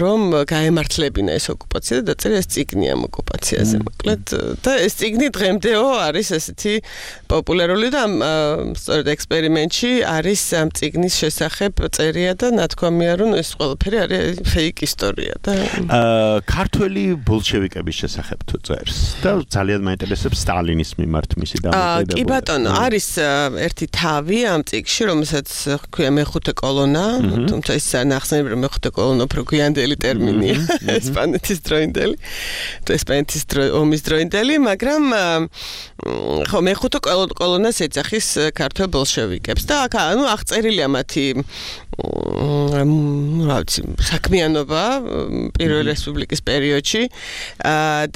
რომ გაემართლებინა ეს ოკუპაცია და დაწერა ეს წიგნი ამ ოკუპაციაზე მოკლედ და ეს წიგნი დღემდეო არის ესეთი პოპულარული და სწორედ ექსპერიმენტში არის ამ წიგნის შესახებ წერია და ნათქვამია რომ ეს ყველაფერი არის fake ისტორია და ქართველი ბოლშევიკების შესახებ თუ წერს და ძალიან მაინტერესებს სტალინის მიმართ მისი დამოკიდებულება. კი ბატონო, არის ერთი თავი ამ წიგნში, რომელსაც ჰქვია მეხუთე კოლონა, თუმცა ის ნახსენები რომ მეხუთე კოლონა უფრო გვიანდელი ტერმინია, ესპანეთის დროინდელი, ესპანეთის ომის დროინდელი, მაგრამ ხო მეხუთე კოლონას ეძახის ქართველ ბოლშევიკებს და ანუ აღწერილია მათი რა ვიცი საქმიანობა პირველი რესპუბლიკის პერიოდში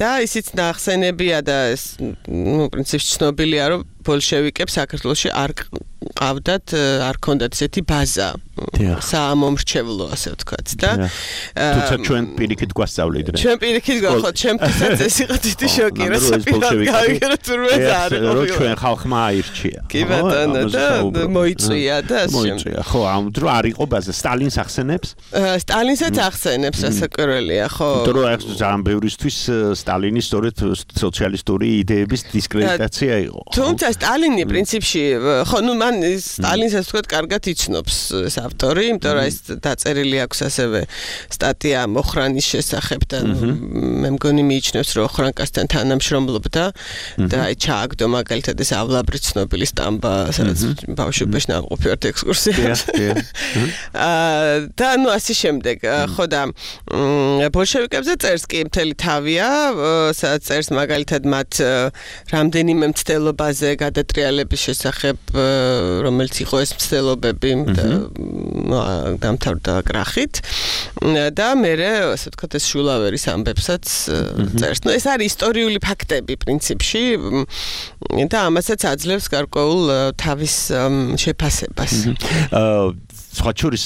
და ისიც ნახსენებია და ნუ პრინციპში ცნობილია რომ ბოლშევიკებს საქართველოში არ ყავდათ არ ქონდათ ესეთი ბაზა საამომრჩევლო ასე ვთქვათ და თუმცა ჩვენ პირიქით გვასწავლით ჩვენ პირიქით ხო ჩემთვისაც ეს იყო დიდი შოკი რა საპირალ გავიგე რომ თურმე არ იყო რომ ჩვენ ხალხმა აირჩია კი ბატონო და მოიწვია და ასე მოიწვია ხო ამ დრო არ იყო ბაზა სტალინს ახსენებს სტალინსაც ახსენებს ასაკურველია ხო დრო ეს ძალიან ბევრისთვის სტალინის სწორედ სოციალისტური იდეების დისკრედიტაცია იყო თუმცა სტალინი პრინციპში ხო ნუ მან სტალინსაც თქვა კარგად იცნობს ეს ავტორი, იმიტომ რომ ეს დაწერილი აქვს ასევე სტატია მოხრანის შესახებ და მე მგონი მიიჩნევს რომ ოხრანკასთან თანამშრომლობდა და აი ჩააგდო მაგალითად ეს ავლაბრი ცნობილი სტამბა, სადაც ბავშვობაში ნამყოფიერთ ექსკურსიაში. და ნუ ასე შემდეგ, ხო და ბოლშევიკებზე წერს კი მთელი თავია, სადაც წერს მაგალითად მათ რამდენიმე მცდელობაზე გადატრიალების შესახებ რომელიც იყო ეს მცდელობები და დამთავრდა კრახით და მერე ასე ვთქვათ ეს შულავერის ამბებსაც წერს. ნუ ეს არის ისტორიული ფაქტები პრინციპში და ამასაც აძლევს გარკვეულ თავის შეფასებას. სხვა შორის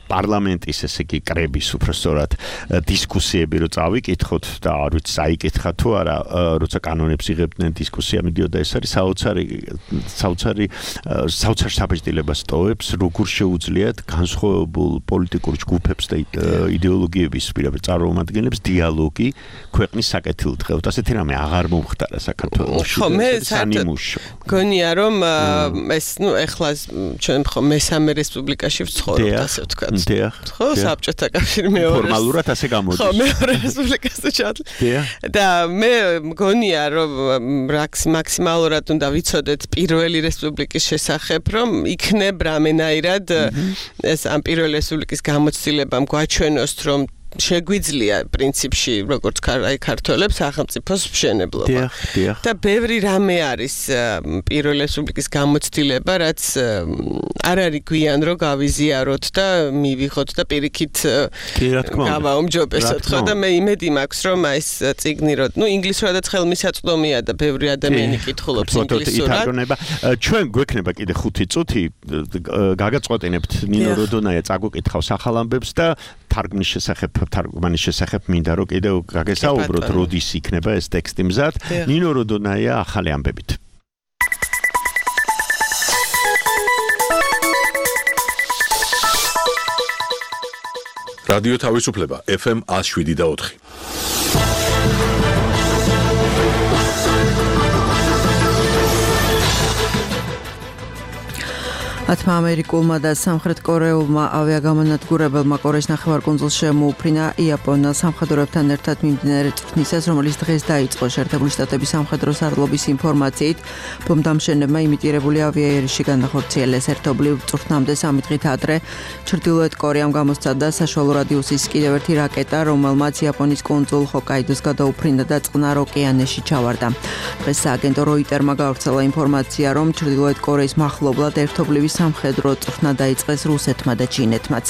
პარლამენტის ესე იგი კრების უბრალოდ დისკუსიები რო წავიკითხოთ და არ ვიცი საიკითხა თუ არა როცა კანონებს იღებდნენ დისკუსია მიდიოდა ეს არის საოცარი საოცარი საოცარ საბეჭდილებას ტოვებს როგორ შეუძლიათ განსხვავებულ პოლიტიკურ ჯგუფებს და იდეოლოგიების პირობებს წარმომადგენლებს დიალოგი ქვეყნის საკეთილდღეოდ ასეთი რამე აღარ მომხდარა საქართველოში ხო მე საერთოდ გონია რომ ეს ნუ ეხლა ჩვენ ხო მესამე რესპუბლიკაში ვცხოვრობთ ასე ვთქვათ დიახ. ხო, საბჭოთა კავშირი მეორე. ფორმალურად ასე გამოდის. ხო, მეორე რესპუბლიკაზე ჩადლა. და მე მგონია რომ მაქსიმალურად უნდა ვიცოდეთ პირველი რესპუბლიკის შესახებ, რომ იქნებ რამენაირად ეს ამ პირველი რესპუბლიკის გამოცდილებამ გვაჩვენოს, რომ შეგვიძლია პრინციპში როგორც აი ქართველებს სახელმწიფოს მშენებლობა. და ბევრი რამე არის პირველი რესპუბლიკის გამოცდილება, რაც არ არის გვიან რომ გავიზიაროთ და მივიღოთ და პირიქით გავაუმჯობესოთ. ხო და მე იმედი მაქვს რომ ეს წიგნი რო ნუ ინგლისურადაც ხელმისაწვდომია და ბევრი ადამიანი კითხულობს ინგლისურად. ჩვენ გვექნება კიდე ხუთი წუთი გაგაწყვეტინებთ ნინო როდონაია წაგვიკითხავს ახალ ამბებს და თარგმნის შესახებ თარგმანის შესახებ მინდა რომ კიდევ გაგესაუბროთ როდის იქნება ეს ტექსტი მზად ნინო როდონაია ახალი ამბებით რადიო თავისუფლება ეფ ემ one oh seven point four ათმა ამერიკულმა და სამხრეთ კორეულმა ავიაგამონადგურებელმა კორეის ნახევარკუნძულს შემოუფრინა იაპონელ სამხედროებთან ერთად მიმდინარე წვრთნისას, რომელიც დღეს დაიწყო. შეერთებული შტატების სამხედრო სარდლობის ინფორმაციით, ბომბდამშენებმა იმიტირებული ავიაერიში განახორციელეს. ერთობლივ წვრთნამდე სამი დღით ადრე ჩრდილოეთ კორეამ გამოსცადა საშუალო რადიუსის კიდევ ერთი რაკეტა, რომელმაც იაპონიის კუნძულ ჰოკაიდოს გადაუფრინდა და წყნარ ოკეანეში ჩავარდა. დღეს სააგენტო როიტერმა გავრცელა ინფორმაცია, რომ ჩრდილოეთ კორეის მახლობლად ერთობლივი სამხედრო წვრთნა დაიწყეს რუსეთმა და ჩინეთმაც.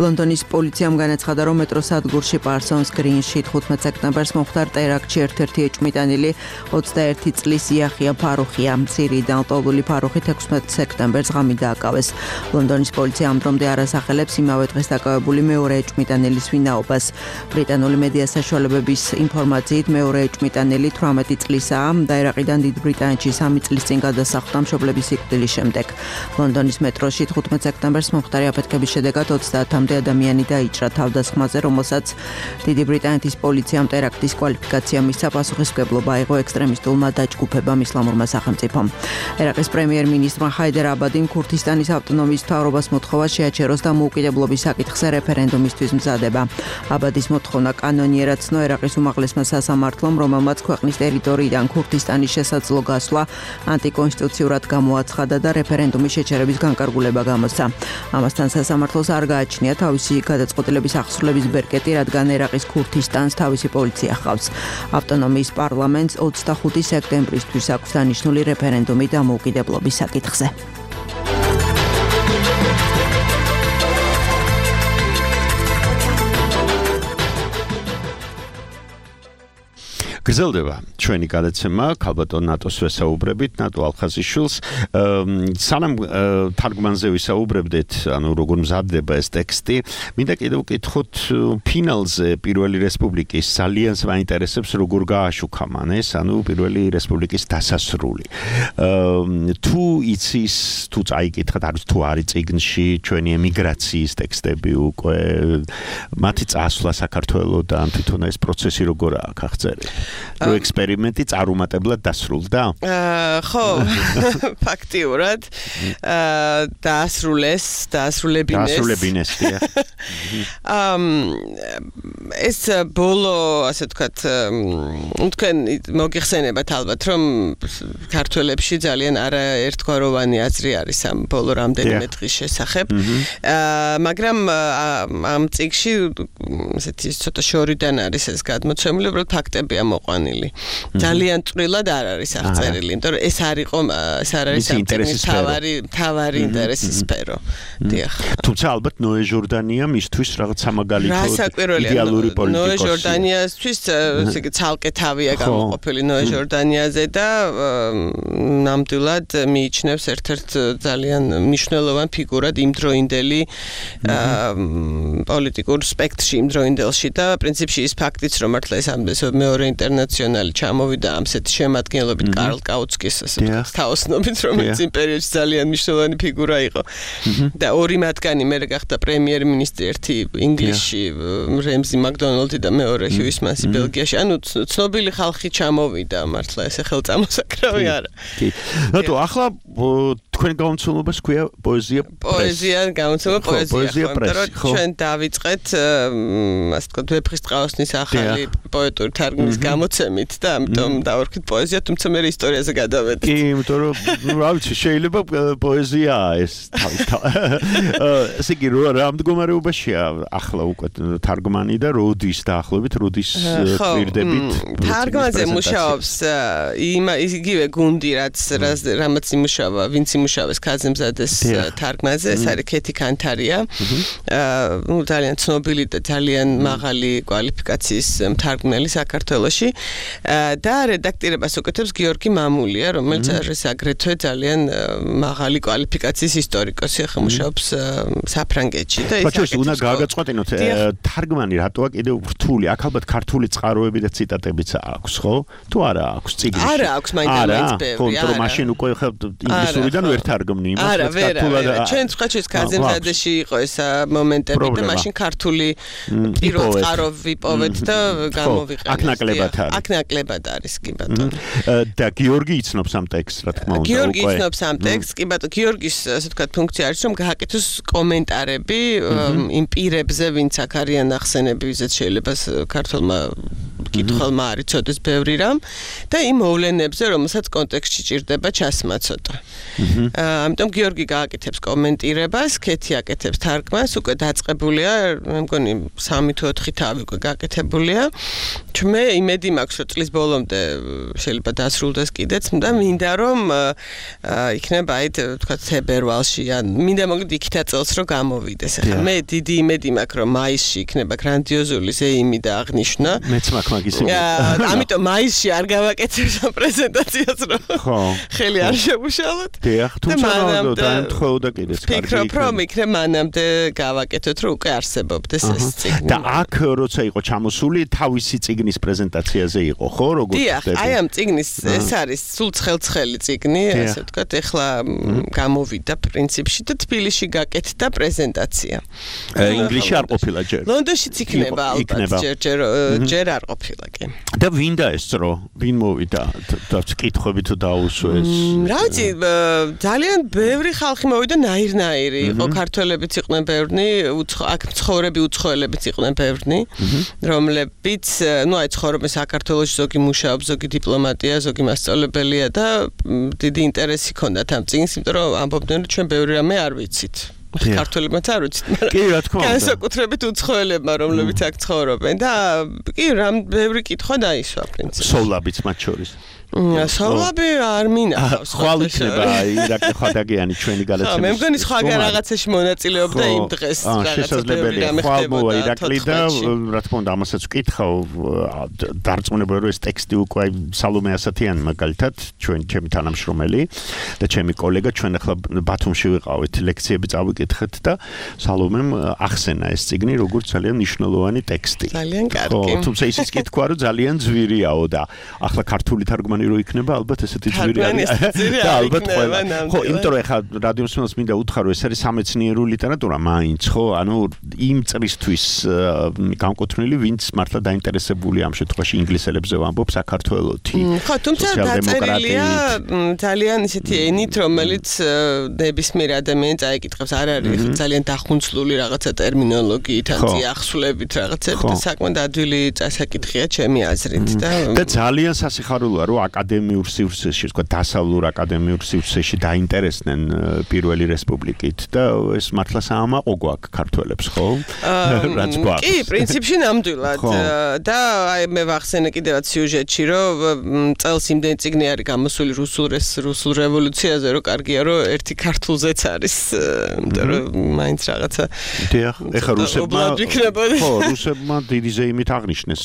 ლონდონის პოლიციამ განაცხადა, რომ მეტროსადგურში პარსონს გრინში თხუთმეტ სექტემბერს მომხდარ ტერაქტში ერთ-ერთი ეჭვმიტანილი ოცდაერთი წლის იახია ფარუხია. სირიიდან ლტოლვილი ფარუხით ექვსმეტ სექტემბერს ღამით დააკავეს. ლონდონის პოლიცია ამ დრომდე არ ასახელებს იმავე დღეს დაკავებული მეორე ეჭვმიტანილის ვინაობას. ბრიტანული მედია საშუალებების ინფორმაციით მეორე ეჭვმიტანილი თვრამეტი წლისაა და ერაყიდან დიდ ბრიტანეთში სამი წლის წინ გადასახლდა მშობლების სიკვდილის შემდეგ. ლონდონის მეტროში თხუთმეტ სექტემბერს მომხდარი აფეთქების შედეგად ოცდაათამდე ადამიანი დაიჭრა თავდასხმაზე, რომელსაც დიდი ბრიტანეთის პოლიციამ ტერაქტის კვალიფიკაცია მისცა. პასუხისმგებლობა აიღო ექსტრემისტულმა დაჯგუფებამ ისლამურმა სახელმწიფომ. ერაყის პრემიერ-მინისტრმა ჰაიდერ აბადიმ ქურთისტანის ავტონომიის მთავრობას მოთხოვა შეაჩეროს და მოუკიდებლობის საკითხზე რეფერენდუმისთვის მზადება. აბადის მოთხოვნა კანონიერად ცნო ერაყის უმაღლესმა სასამართლომ, რომელმაც ქვეყნის ტერიტორიიდან ქურთისტანის შესაძლო გასვლა ანტიკონსტიტუციურად გამოაცხადა და რეფერენდუმის შეჩერების განკარგულება გამოსცა. ამასთან სასამართლოს არ გააჩნია თავისი გადაწყვეტილების აღსრულების ბერკეტი, რადგან ერაყის ქურთისტანს თავისი პოლიცია ჰყავს. ავტონომიის პარლამენტს ოცდახუთი სექტემბრისთვის აქვს დანიშნული რეფერენდუმი დამოუკიდებლობის საკითხზე. გრძელდება ჩვენი გადაცემა ქალბატონ ნატოს ვესაუბრებით, ნატო ალხაზიშვილს. სანამ თარგმანზე ვისაუბრებდეთ, ანუ როგორ მზადდება ეს ტექსტი, მინდა კიდევ ვკითხოთ ფინალზე პირველი რესპუბლიკის ძალიან მაინტერესებს როგორ გააშუქა მან ეს, ანუ პირველი რესპუბლიკის დასასრული. თუ იცის, თუ წაიკითხეთ, არის თუ არის წიგნში ჩვენი ემიგრაციის ტექსტები უკვე, მათი წასვლა საქართველოდან, თვითონ ეს პროცესი როგორ აქვს აღწერილი? რო ექსპერიმენტი წარუმატებლად დასრულდა? ხო, ფაქტიურად დაასრულეს, დაასრულებინეს. დაასრულებინეს, დიახ. ეს ბოლო, ასე ვთქვათ, თქვენ მოგიხსენებათ ალბათ, რომ ქართველებში ძალიან არაერთგვაროვანი აზრი არის ამ ბოლო რამდენიმე დღის შესახებ. მაგრამ ამ წიგნში ესეთი ცოტა შორიდან არის ეს გადმოცემული, უბრალოდ ფაქტებია მოყვანილი. ძალიან წვრილად არ არის აღწერილი, იმიტომ რომ ეს არ იყო, ეს არ არის ინტერესის თავარი, თავარი ინტერესის სფერო. დიახ. თუმცა ალბათ ნოე ჟორდანია მისთვის რაღაც სამაგალითო იდეალური პოლიტიკოსი. ნოე ჟორდანიასთვის ესე იგი ცალკე თავია გამოყოფილი ნოე ჟორდანიაზე და ნამდვილად მიიჩნევს ერთ-ერთ ძალიან მნიშვნელოვან ფიგურად იმდროინდელი პოლიტიკურ სპექტრში იმდროინდელში და პრინციპში ის ფაქტიც რომ მართლა ეს ამ მეორე ინტერნაციონალი ჩამოვიდა ამ სეთ შემადგენლობით კარლ კაუცკის თაოსნობით, რომელიც იმ პერიოდში ძალიან მნიშვნელოვანი ფიგურა იყო. და ორი მათგანი მერე გახდა პრემიერ-მინისტრი, ერთი ინგლისში რემზი მაკდონალდი და მეორე ჰიუის მასი ბელგიაში. ანუ ცნობილი ხალხი ჩამოვიდა მართლა ესე ხელწამოსაკრავი არა. კი. ნატო ახლა თქვენ გამოცემობას ქვია პოეზია პრესი. პოეზია გამოცემა პოეზია პრესი. ხო. ჩვენ დავიწყეთ ასე ვთქვათ ვეფხისტყაოსნის ახალი პოეტური თარგმნის გამოცემით და ამიტომ დავარქვით პოეზია, თუმცა მე ისტორიაზე გადავედით. კი, იმიტომ რომ რა ვიცი, შეიძლება პოეზიაა ეს თავი. ესე იგი რა მდგომარეობაშია ახლა უკვე თარგმანი და როდის დაახლოებით, როდის პირდებით? თარგმანზე მუშაობს იგივე გუნდი, რაც რამაც იმუშავა, ვინც იმუშავეს ქაზემზადეს თარგმანზე, ეს არის ქეთი კანთარია. ნუ ძალიან ცნობილი და ძალიან მაღალი კვალიფიკაციის მთარგმნელი საქართველოში და რედაქტირებას უკეთებს გიორგი მამულია, რომელიც არის აგრეთვე ძალიან მაღალი კვალიფიკაციის ისტორიკოსი, ახლა მუშაობს საფრანგეთში და ის აქ უნდა გააგაწყვეტინოთ თარგმანი რატოა კიდევ რთული? აქ ალბათ ქართული წყაროები და ციტატებიც აქვს, ხო? თუ არა აქვს წიგნში? არა აქვს, მაინც-მაინც ბევრი. ხო, რომ მაშინ უკვე ინგლისურიდან ვერ თარგმნი იმას, არა, ვერ, არა. ჩვენ სხვაჩის კაზემზადეში იყო ეს მომენტები და მაშინ ქართული პირველ წყარო ვიპოვეთ და გამოვიყენეთ. აქ ნაკლებად არის. აქ ნაკლებად არის, კი ბატონო. და გიორგი იცნობს ამ ტექსტს, რა თქმა უნდა. გიორგი იცნობს ამ ტექსტს, კი ბატონო, გიორგის ასე ვთქვათ ფუნქცია არის, რომ გააკეთოს კომენტარები იმ პირებზე, ვინც აქ არიან ახსენები, ვიზეთ შეიძლება ქართულმა კითხველმა არ იცოდეს ბევრი რამ და იმ მოვლენებზე, რომელსაც კონტექსტში ჭირდება ჩასმაცოტა. ამიტომ გიორგი გააკეთებს კომენტირებას, ქეთი აკეთებს თარგმანს, უკვე დაწყებულია, მე მგონი სამი თუ ოთხი თავი უკვე გააკეთებულია. მე იმედი მაქვს, რომ წლის ბოლომდე შეიძლება დასრულდეს კიდეც და მინდა რომ იქნება აი თქვა თებერვალში ან მინდა მოგდ იქითა წელს რომ გამოვიდეს. ახლა მე დიდი იმედი მაქვს, რომ მაისში იქნება გრანდიოზული ზეიმი და აღნიშვნა. მეც მაქვს მაგის იმედი. ამიტომ მაისში არ გავაკეთებ ამ პრეზენტაციას რომ ხო ხელი არ შევუშალოთ. დიახ, თუმცა დაემთხოვდა კიდეც კარგი. ფიქრობ რომ იქნება მანამდე გავაკეთოთ რომ უკვე არსებობდეს ეს წიგნი. და აქ როცა იყო ჩამოსული თავისი წიგნის პრეზენტაციაზე იყო, ხო, როგორც დიახ, აი ამ წიგნის ეს არის სულ ცხელ-ცხელი წიგნი, ასე ვთქვათ, ეხლა გამოვიდა პრინციპში და თბილისში გაკეთდა პრეზენტაცია. ინგლისში არ ყოფილა ჯერ. ლონდონშიც იქნება ალბათ ჯერ ჯერ ჯერ არ ყოფილა კი. და ვინ დაესწრო? ვინ მოვიდა? და კითხვები თუ დაუსვეს? რა ვიცი, ძალიან ბევრი ხალხი მოვიდა ნაირ-ნაირი. იყო ქართველებიც იყვნენ ბევრნი, აქ მცხოვრები უცხოელებიც იყვნენ ბევრნი, რომლებიც, ну, აი ცხოვრობენ საქართველოში, ზოგი მუშაობს, ზოგი დიპლომატია, ზოგი მასწავლებელია და დიდი ინტერესი ჰქონდათ ამ წიგნს, იმიტომ რომ ამბობდნენ, რომ ჩვენ ბევრი რამე არ ვიცით. ქართველებმაც არ ვიცით, მაგრამ კი, რა თქმა უნდა. განსაკუთრებით უცხოელებმა, რომლებიც აქ ცხოვრობენ და კი, რამ ბევრი კითხვა დაისვა პრინციპში. სოვლაბიც მათ შორის. სოვლაბი არ მინახავს. ხვალ იქნება ირაკლი ხადაგიანი ჩვენი გადაცემის. მე მგონი სხვაგან რაღაცაში მონაწილეობდა იმ დღეს რაღაცა ბევრი რამე ხდებოდა ირაკლი და რა თქმა უნდა ამასაც ვკითხავ დარწმუნებული რომ ეს ტექსტი უკვე სალომე ასათიანი მაგალითად ჩვენ ჩემი თანამშრომელი და ჩემი კოლეგა ჩვენ ახლა ბათუმში ვიყავით ლექციები წავიკითხეთ და სალომემ ახსენა ეს წიგნი როგორც ძალიან მნიშვნელოვანი ტექსტი. ძალიან კარგი. თუმცა ისიც კი თქვა რომ ძალიან ძვირიაო და ახლა ქართული თარგმანი რო იქნება ალბათ ესეთი ძვირი არის და ალბათ ყველა ხო იმიტომ რომ ეხლა რადიო მსმენელს მინდა უთხრა რომ ეს არის სამეცნიერო ლიტერატურა მაინც ხო ანუ იმ წრისთვის განკუთვნილი ვინც მართლა დაინტერესებული ამ შემთხვევაში ინგლისელებზე ვამბობ საქართველოთი ხო თუმცა დაწერილია ძალიან ისეთი ენით რომელიც ნებისმიერ ადამიანს წაიკითხავს არ არის ძალიან დახუნცლული რაღაცა ტერმინოლოგიით ან წიახსვლებით რაღაცებით და საკმაოდ ადვილი წასაკითხია ჩემი აზრით და და ძალიან სასიხარულოა რომ აკადემიურ სივრცეში, თქვა დასავლურ აკადემიურ სივრცეში დაინტერესდნენ პირველი რესპუბლიკით და ეს მართლა საამაყო გვაქვს ქართველებს, ხო? რაც გვაქვს. კი, პრინციპში ნამდვილად და აი მე ვახსენე კიდევაც სიუჟეტში, რომ წელს იმდენი წიგნი არის გამოსული რუსულ რუსულ რევოლუციაზე, რომ კარგია რომ ერთი ქართულზეც არის, იმიტომ რომ მაინც რაღაცა დიახ, ეხა რუსებმა ხო, რუსებმა დიდი ზეიმით აღნიშნეს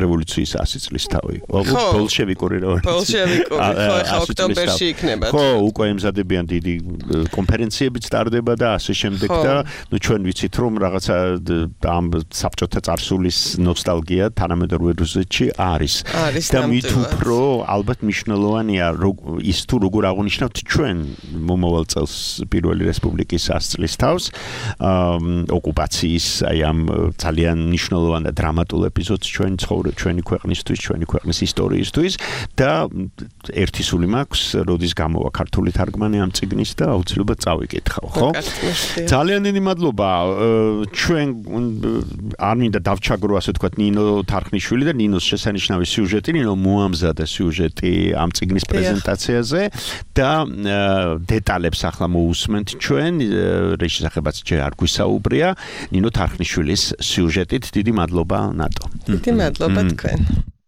რევოლუციის ასი წლის თავი. ბოლშევიკური ბოლშევიკური ხო ხა ოქტომბერში იქნება ხო უკვე ემზადებიან დიდი კონფერენციებიც ტარდება და ასე შემდეგ და ნუ ჩვენ ვიცით რომ რაღაცა ამ საბჭოთა წარსულის ნოსტალგია თანამედროვე რუსეთში არის და მით უფრო ალბათ მნიშვნელოვანია ის თუ როგორ აღნიშნავთ ჩვენ მომავალ წელს პირველი რესპუბლიკის ას წლის თავს ოკუპაციის აი ამ ძალიან მნიშვნელოვან და დრამატულ ეპიზოდს ჩვენ ცხოვრობ ჩვენი ქვეყნისთვის ჩვენი ქვეყნის ისტორიისთვის და ერთი სული მაქვს, როდის გამოვა ქართული თარგმანი ამ წიგნის და აუცილებლად წავიკითხავ, ხო? ძალიან დიდი მადლობა. ჩვენ არ მინდა დავჩაგრო ასე ვთქვათ ნინო თარხნიშვილი და ნინოს შესანიშნავი სიუჟეტი, ნინო მოამზადა სიუჟეტი ამ წიგნის პრეზენტაციაზე და დეტალებს ახლა მოусმენთ ჩვენ, რის შესახებაც ჯერ არ გვისაუბრია, ნინო თარხნიშვილის სიუჟეტით. დიდი მადლობა ნატო. დიდი მადლობა თქვენ.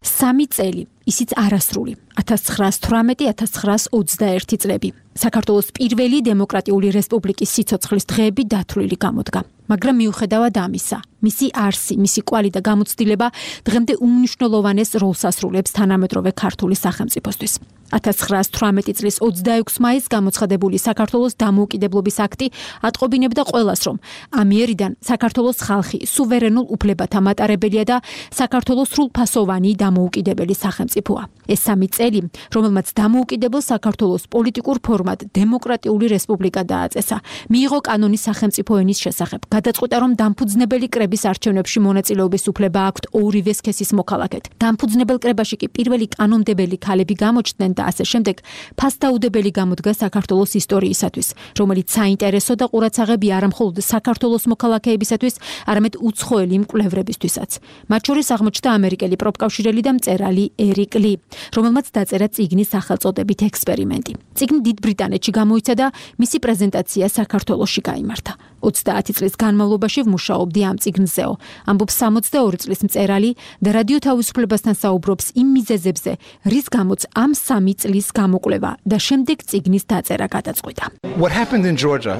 სამი წელი, ისიც არასრული, ათას ცხრაას თვრამეტი ათას ცხრაას ოცდაერთი წლები. საქართველოს პირველი დემოკრატიული რესპუბლიკის სიცოცხლის დღეები დათვლილი გამოდგა. მაგრამ მიუხედავად ამისა, მისი არსი, მისი კვალი და გამოცდილება დღემდე უმნიშვნელოვანეს როლს ასრულებს თანამედროვე ქართული სახელმწიფოსთვის. ათას ცხრაას თვრამეტი წლის ოცდაექვსი მაისს გამოცხადებული საქართველოს დამოუკიდებლობის აქტი ატყობინებდა ყველას, რომ ამიერიდან საქართველოს ხალხი სუვერენულ უფლებათა მატარებელია და საქართველოს სრულფასოვანი დამოუკიდებელი სახელმწიფო. სახელმწიფოა. ეს სამი წელი, რომელმაც დამოუკიდებელ საქართველოს პოლიტიკურ ფორმად დემოკრატიული რესპუბლიკა დააწესა, მიიღო კანონის სახელმწიფო ენის შესახებ, გადაწყვიტა, რომ დამფუძნებელი კრების არჩევნებში მონაწილეობის უფლება აქვთ ორივე სქესის მოქალაქედ. დამფუძნებელ კრებაში კი პირველი კანონმდებელი ქალები გამოჩნდნენ და ასე შემდეგ, ფასდაუდებელი გამოდგა საქართველოს ისტორიისათვის, რომელიც საინტერესო და ყურაცაღები არა მხოლოდ საქართველოს მოქალაქეებისათვის, არამედ უცხოელი მკვლევრებისთვისაც. მათ შორის აღმოჩნდა ამერიკელი პროფკავშირელი და მწერალი ერიკ ლი, რომელმაც დაწერა წიგნის სახელწოდებით ექსპერიმენტი. წიგნი დიდ ბრიტანეთში გამოიცა და მისი პრეზენტაცია საქართველოში გაიმართა. ოცდაათი წლის განმავლობაში ვმუშაობდი ამ წიგნზეო. ამბობს სამოცდაორი წლის მწერალი და რადიო თავისუფლებასთან საუბრობს იმ მიზეზებზე, რის გამოც ამ სამი წლის გამოკვლევა და შემდეგ წიგნის დაწერა გადაწყვიტა. What happened in Georgia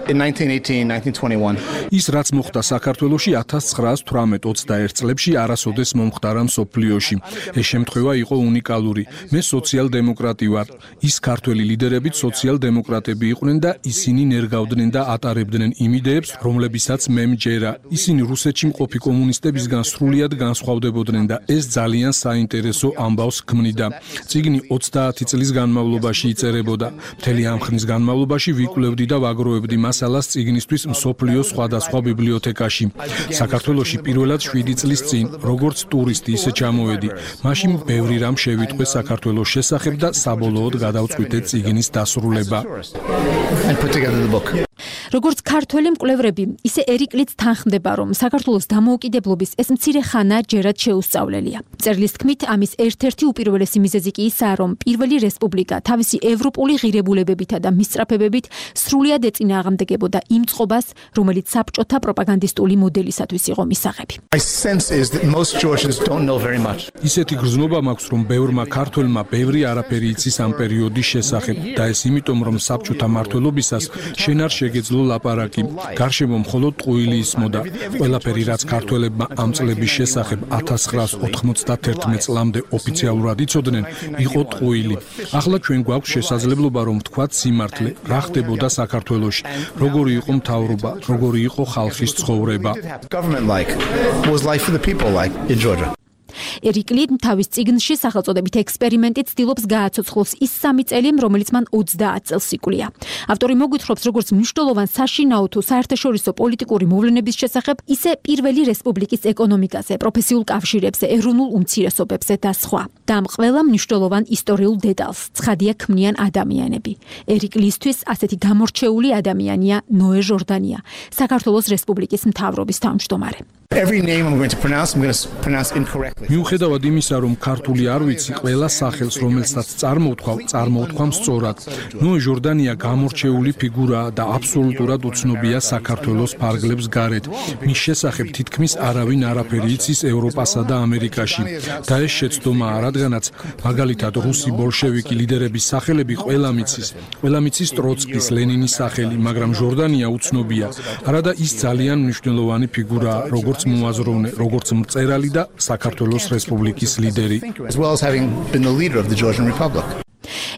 in nineteen eighteen, nineteen twenty-one. ის რაც მოხდა საქართველოში ათას ცხრაას თვრამეტ ოცდაერთ წლებში არასოდეს მომხდარა მსოფლიოში. ეს შემთხვევა იყო უნიკალური. მე სოციალ-დემოკრატი ვარ. ის ქართველი ლიდერებიც სოციალ-დემოკრატები იყვნენ და ისინი ნერგავდნენ და ატარებდნენ იმ იდეებს, რომლებისაც მე მჯერა. ისინი რუსეთში მყოფი კომუნისტებისგან სრულიად განსხვავდებოდნენ და ეს ძალიან საინტერესო ამბავს ქმნიდა. წიგნი ოცდაათი წლის განმავლობაში იწერებოდა. მთელი ამ ხნის განმავლობაში ვიკვლევდი და ვაგროვებდი მასალას წიგნისთვის მსოფლიოს სხვადასხვა ბიბლიოთეკაში. საქართველოში პირველად შვიდი წლის წინ, როგორც ტურისტი ისე ჩამოვედი. მაშინ ბევრი რამ შევიტყვე საქართველოს შესახებ და საბოლოოდ გადავწყვიტე წიგნის დასრულება. როგორც ქართველი მკვლევრები, ისე ერიკ ლიც თანხმდება, რომ საქართველოს დამოუკიდებლობის ეს მცირე ხანა ჯერად შეუსწავლელია. მწერლის თქმით, ამის ერთ-ერთი უპირველესი მიზეზი კი ისაა, რომ პირველი რესპუბლიკა თავისი ევროპული ღირებულებებითა და მისწრაფებებით სრულიად ეწინააღმდეგებოდა იმ წყობას, რომელიც საბჭოთა პროპაგანდისტული მოდელისათვის იყო მისაღები. ისეთი გრძნობა მაქვს, რომ ბევრმა ქართველმა ბევრი არაფერი იცის ამ პერიოდის შესახებ და ეს იმიტომ, რომ საბჭოთა მმართველობისას შენ არ შეგეძლო ლაპარაკი. გარშემო მხოლოდ ტყუილი ისმოდა. ყველაფერი, რაც ქართველებმა ამ წლების შესახებ ათას ცხრაას ოთხმოცდათერთმეტ წლამდე ოფიციალურად იცოდნენ, იყო ტყუილი. ახლა ჩვენ გვაქვს შესაძლებლობა, რომ ვთქვათ სიმართლე, რა ხდებოდა საქართველოში, როგორი იყო მთავრობა, როგორი იყო ხალხის ცხოვრება. ერიკ ლი თავის წიგნში სახელწოდებით ექსპერიმენტი ცდილობს გააცოცხლოს ის სამი წელი, რომელიც მან ოცდაათ წელს იკვლია. ავტორი მოგვითხრობს, როგორც მნიშვნელოვან საშინაო თუ საერთაშორისო პოლიტიკური მოვლენების შესახებ, ისე პირველი რესპუბლიკის ეკონომიკაზე, პროფესიულ კავშირებზე, ეროვნულ უმცირესობებზე და სხვა. და ამ ყველა მნიშვნელოვან ისტორიულ დეტალს ცხადია ქმნიან ადამიანები. ერიკ ლისთვის ასეთი გამორჩეული ადამიანია ნოე ჟორდანია, საქართველოს რესპუბლიკის მთავრობის თავმჯდომარე. Every name I'm going to pronounce, I'm going to pronounce incorrectly. მიუხედავად იმისა, რომ ქართული არ ვიცი, ყველა სახელს, რომელსაც წარმოვთქვავ, წარმოვთქვამ სწორად. ნოე ჟორდანია გამორჩეული ფიგურაა და აბსოლუტურად უცნობია საქართველოს ფარგლებს გარეთ. მის შესახებ თითქმის არავინ არაფერი იცის ევროპასა და ამერიკაში. და ეს შეცდომაა, რადგანაც მაგალითად რუსი ბოლშევიკი ლიდერების სახელები ყველა მიცის. ყველა მიცის ტროცკის, ლენინის სახელი, მაგრამ ჟორდანია უცნობია. არადა ის ძალიან მნიშვნელოვანი ფიგურაა, როგორც მოაზროვნე, როგორც მწერალი და საქართველოს რესპუბლიკის ლიდერი.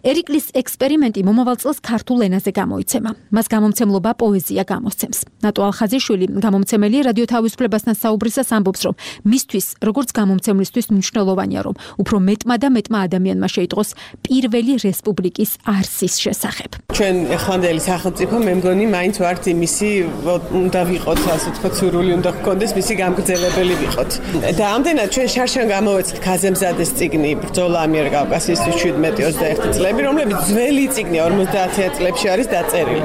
ერიკ ლის ექსპერიმენტი მომავალ წელს ქართულ ენაზე გამოიცემა. მას გამომცემლობა პოეზია გამოსცემს. ნატო ალხაზიშვილი, გამომცემელი რადიო თავისუფლებასთან საუბრისას ამბობს, რომ მისთვის, როგორც გამომცემლისთვის მნიშვნელოვანია, რომ უფრო მეტმა და მეტმა ადამიანმა შეიტყოს პირველი რესპუბლიკის არსის შესახებ. ჩვენ ეხლანდელი სახელმწიფო, მე მგონი, მაინც ვართ იმისი, უნდა ვიყოთ, ასე ვთქვათ, სურვილი უნდა გქონდეს, მისი გამგრძელებელი ვიყოთ. და ამდენად ჩვენ შარშან გამოვეცეთ ქაზემზადეს წიგნი ბრძოლა ამიერკავკასიისთვის შვიდმეტი ოცდაერთი წლები, რომლებიც ძველი წიგნი ორმოცდაათი წლებში არის დაწერილი.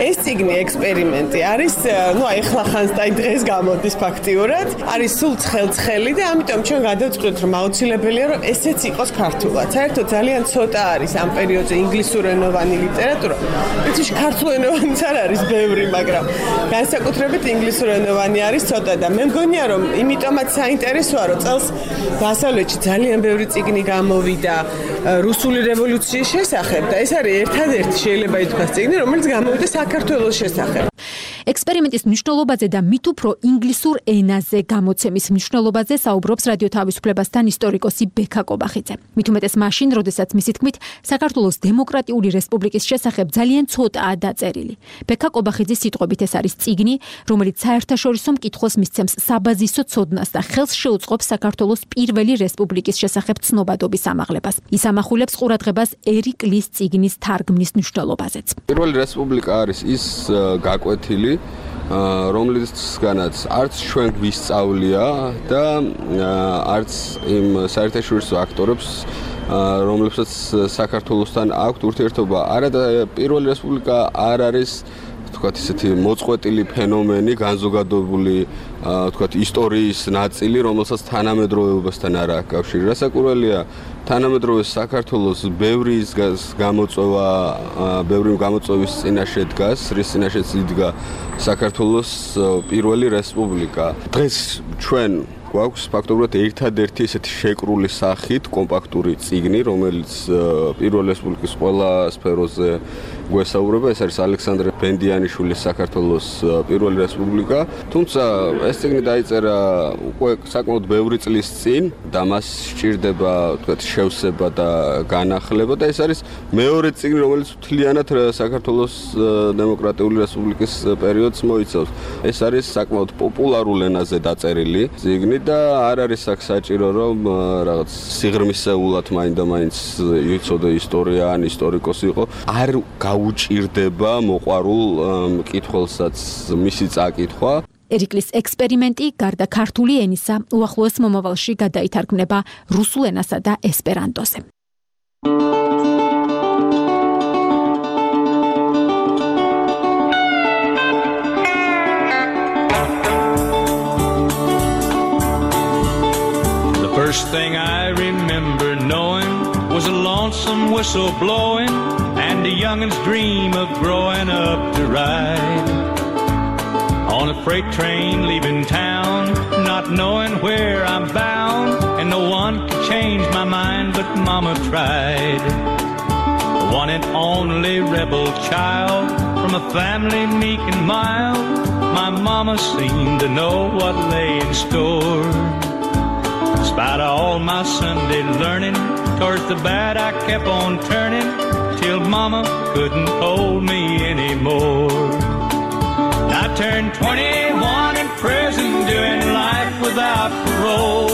ეს წიგნი ექსპერიმენტი არის, ну, ეხლა ხანს და დღეს გამოდის ფაქტიურად, არის სულ ცხელ-ცხელი და ამიტომ ჩვენ გადავწყვეტთ, რომ აუცილებელია, რომ ესეც იყოს ქართულად. საერთოდ ძალიან ცოტა არის ამ პერიოდზე ინგლისურენოვანი ლიტერატურა. იცი, ქართულენოვანიც არ არის ბევრი, მაგრამ განსაკუთრებით ინგლისურენოვანი არის ცოტა და მე მგონია, რომ იმიტომაც საინტერესოა, რომ წელს დასავლეთში ძალიან ბევრი წიგნი გამოვიდა რუსული რევოლუციის შესახებ და ეს არის ერთადერთი შეიძლება ითქვას წიგნი, რომელიც გამოვიდა საქართველოს შესახებ. ექსპერიმენტის მნიშვნელობაზე და მით უფრო ინგლისურ ენაზე გამოცემის მნიშვნელობაზე საუბრობს რადიო თავისუფლებასთან ისტორიკოსი ბექა კობახიძე. მით უმეტეს მაშინ, როდესაც მისი თქმით, საქართველოს დემოკრატიული რესპუბლიკის შესახებ ძალიან ცოტაა დაწერილი. ბექა კობახიძის სიტყვებით ეს არის წიგნი, რომელიც საერთაშორისო მკითხველს მისცემს საბაზისო ცოდნას და ხელს შეუწყობს საქართველოს პირველი რესპუბლიკის შესახებ ცნობადობის ამაღლებას. ის ამახვილებს ყურადღებას ერიკ ლის წიგნის თარგმნის მნიშვნელობაზეც. პირველი რესპუბლიკა არის ის გაკვეთილი, რომლისგანაც არც ჩვენ გვისწავლია და არც იმ საერთაშორისო აქტორებს, რომლებსაც საქართველოსთან აქვთ ურთიერთობა. არა და პირველი რესპუბლიკა არ არის თქვათ ისეთი მოწყვეტილი ფენომენი, განზოგადებული თქვათ ისტორიის ნაწილი, რომელსაც თანამედროვეობასთან არ აქვს კავშირი. რასაკვირველია, თანამედროვე საქართველოს ბევრი გამოწვევა, ბევრი გამოწვევის წინაშე დგას, რის წინაშეც იდგა საქართველოს პირველი რესპუბლიკა. დღეს ჩვენ გვაქვს ფაქტობრივად ერთადერთი ესეთი შეკრული სახით კომპაქტური წიგნი, რომელიც პირველ რესპუბლიკის ყველა სფეროზე გვესაუბრება. ეს არის ალექსანდრე ბენდიანიშვილის საქართველოს პირველი რესპუბლიკა. თუმცა ეს წიგნი დაიწერა უკვე საკმაოდ ბევრი წლის წინ და მას სჭირდება თქვათ შევსება და განახლება და ეს არის მეორე წიგნი, რომელიც მთლიანად საქართველოს დემოკრატიული რესპუბლიკის პერიოდს მოიცავს. ეს არის საკმაოდ პოპულარულ ენაზე დაწერილი წიგნი და არ არის აქ საჭირო რომ რაღაც სიღრმისეულად მაინდა-მაინც იცოდე ისტორია ან ისტორიკოსი იყო. არ გაუჭირდება მოყვარულ მკითხველსაც მისი წაკითხვა. ერიკლის ექსპერიმენტი გარდა ქართული ენისა უახლოეს მომავალში გადაითარგმნება რუსულ ენასა და ესპერანტოზე. First thing I remember knowing was a lonesome whistle blowing and a youngin's dream of growing up to ride on a freight train leaving town, not knowing where I'm bound, and no one could change my mind but Mama tried. The one and only rebel child from a family meek and mild, my mama seemed to know what lay in store. Despite all my Sunday learning, towards the bad I kept on turning, till Mama couldn't hold me anymore. I turned twenty-one in prison, doing life without parole.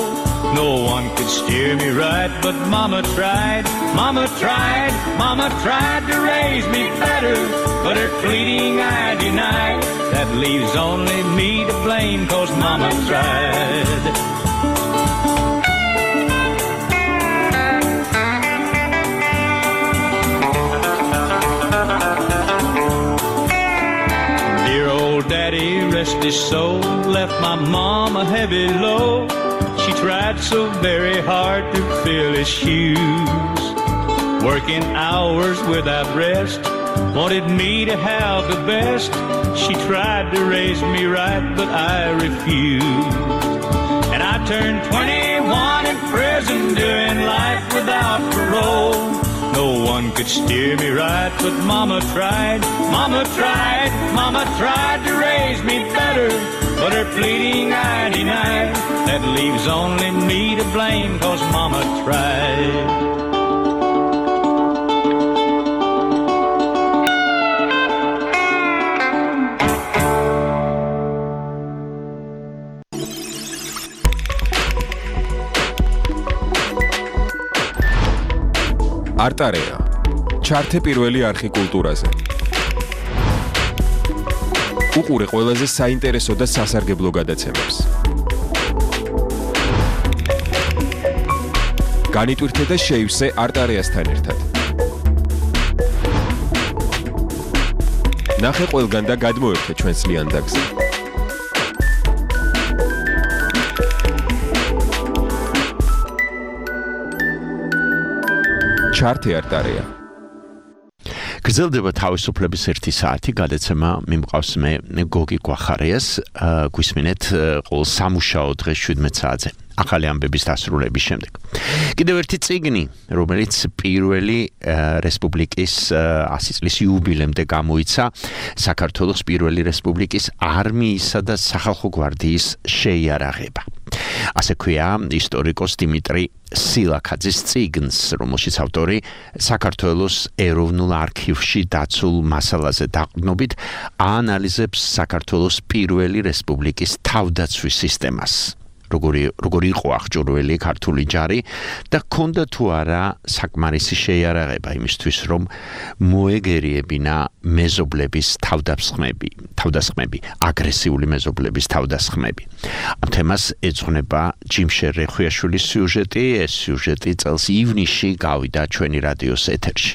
No one could steer me right, but Mama tried, Mama tried, Mama tried to raise me better, but her pleading I denied. That leaves only me to blame, 'cause Mama tried. Daddy, rest his soul, left my mom a heavy load. She tried so very hard to fill his shoes, working hours without rest, wanted me to have the best. She tried to raise me right, but I refused. And I turned twenty-one in prison, doing life without parole. No one could steer me right, but Mama tried, Mama tried, Mama tried to raise me better, but her pleading I denied. That leaves only me to blame, 'cause Mama tried. არტარეა ჩართე პირველი არხი კულტურაზე. უყურე ყველაზე საინტერესო და სასარგებლო გადაცემებს. განიტვირთე და შეივსე არტარეასთან ერთად. ნახე ყველგან და გადმოერთე ჩვენს ლიანდაგზე. ჩართე არტარეა. გრძელდება თავისუფლების ერთი საათი გადაცემა მიმყავს მე გოგი გვახარიას გვისმინეთ ყოველ სამუშაო დღეს შვიდმეტ საათზე. ახალი ამბების დასრულების შემდეგ. კიდევ ერთი წიგნი, რომელიც პირველი რესპუბლიკის ასი წლის იუბილემდე გამოიცა, საქართველოს პირველი რესპუბლიკის არმიისა და სახალხო გვარდიის შეიარაღება. ასე ქვია ისტორიკოს დიმიტრი სილაქაძის წიგნს, რომელშიც ავტორი საქართველოს ეროვნულ არქივში დაცულ მასალაზე დაყრდნობით აანალიზებს საქართველოს პირველი რესპუბლიკის თავდაცვის სისტემას. როგორი როგორი იყო აღჭურვილი ქართული ჯარი და ჰქონდა თუ არა საკმარისი შეიარაღება იმისთვის, რომ მოეგერიებინა მეზობლების თავდასხმები, თავდასხმები, აგრესიული მეზობლების თავდასხმები. ამ თემას ეძღვნება ჯიმშერ რეხვიაშვილის სიუჟეტი, ეს სიუჟეტი წელს ივნისში გავიდა ჩვენი რადიოს ეთერში.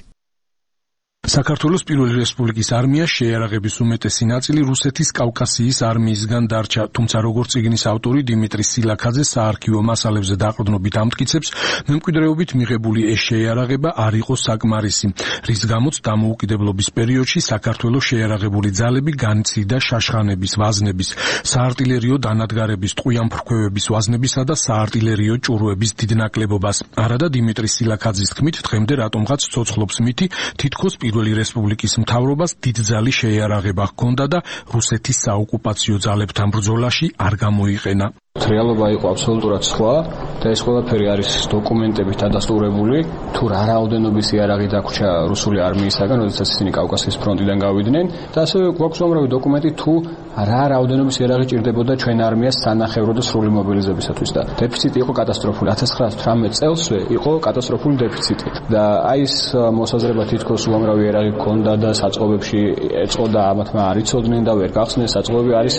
საქართველოს პირველი რესპუბლიკის არმია შეიარაღების უმეტესი ნაწილი რუსეთის კავკასიის არმიისგან დარჩა, თუმცა როგორც წიგნის ავტორი დიმიტრი სილაქაძე საარქივო მასალებზე დაყრდნობით ამტკიცებს, მემკვიდრეობით მიღებული ეს შეიარაღება არ იყო საკმარისი, რის გამოც დამოუკიდებლობის პერიოდში საქართველოს შეიარაღებული ძალები განიცდიდა შაშხანების, ვაზნების, საარტილერიო დანადგარების, ტყვიამფრქვევების ვაზნებისა და საარტილერიო ჭურვების დიდ ნაკლებობას. არადა დიმიტრი სილაქაძის თქმით, დღემდე რატომღაც ცოცხლობს მითი, თითქოს პირველი რესპუბლიკის მთავრობას დიდძალი შეიარაღება ჰქონდა და რუსეთის საოკუპაციო ძალებთან ბრძოლაში არ გამოიყენა. რეალობა იყო აბსოლუტურად სხვა და ეს ყველაფერი არის დოკუმენტებით დადასტურებული, თუ რა რაოდენობის იარაღი დაგვრჩა რუსული არმიისაგან, როდესაც ისინი კავკასიის ფრონტიდან გავიდნენ და ასევე გვაქვს უამრავი დოკუმენტი თუ რა რაოდენობის იარაღი ჭირდებოდა ჩვენ არმიას სანახევრო და სრული მობილიზებისათვის და დეფიციტი იყო კატასტროფული. ათას ცხრაასი თვრამეტ წელსვე იყო კატასტროფული დეფიციტი და აი ეს მოსაზრება თითქოს უამრავი იარაღი ჰქონდა და საწყობებში ეწყოდა ამათმა არ იცოდნენ და ვერ გახსნეს. საწყობები არის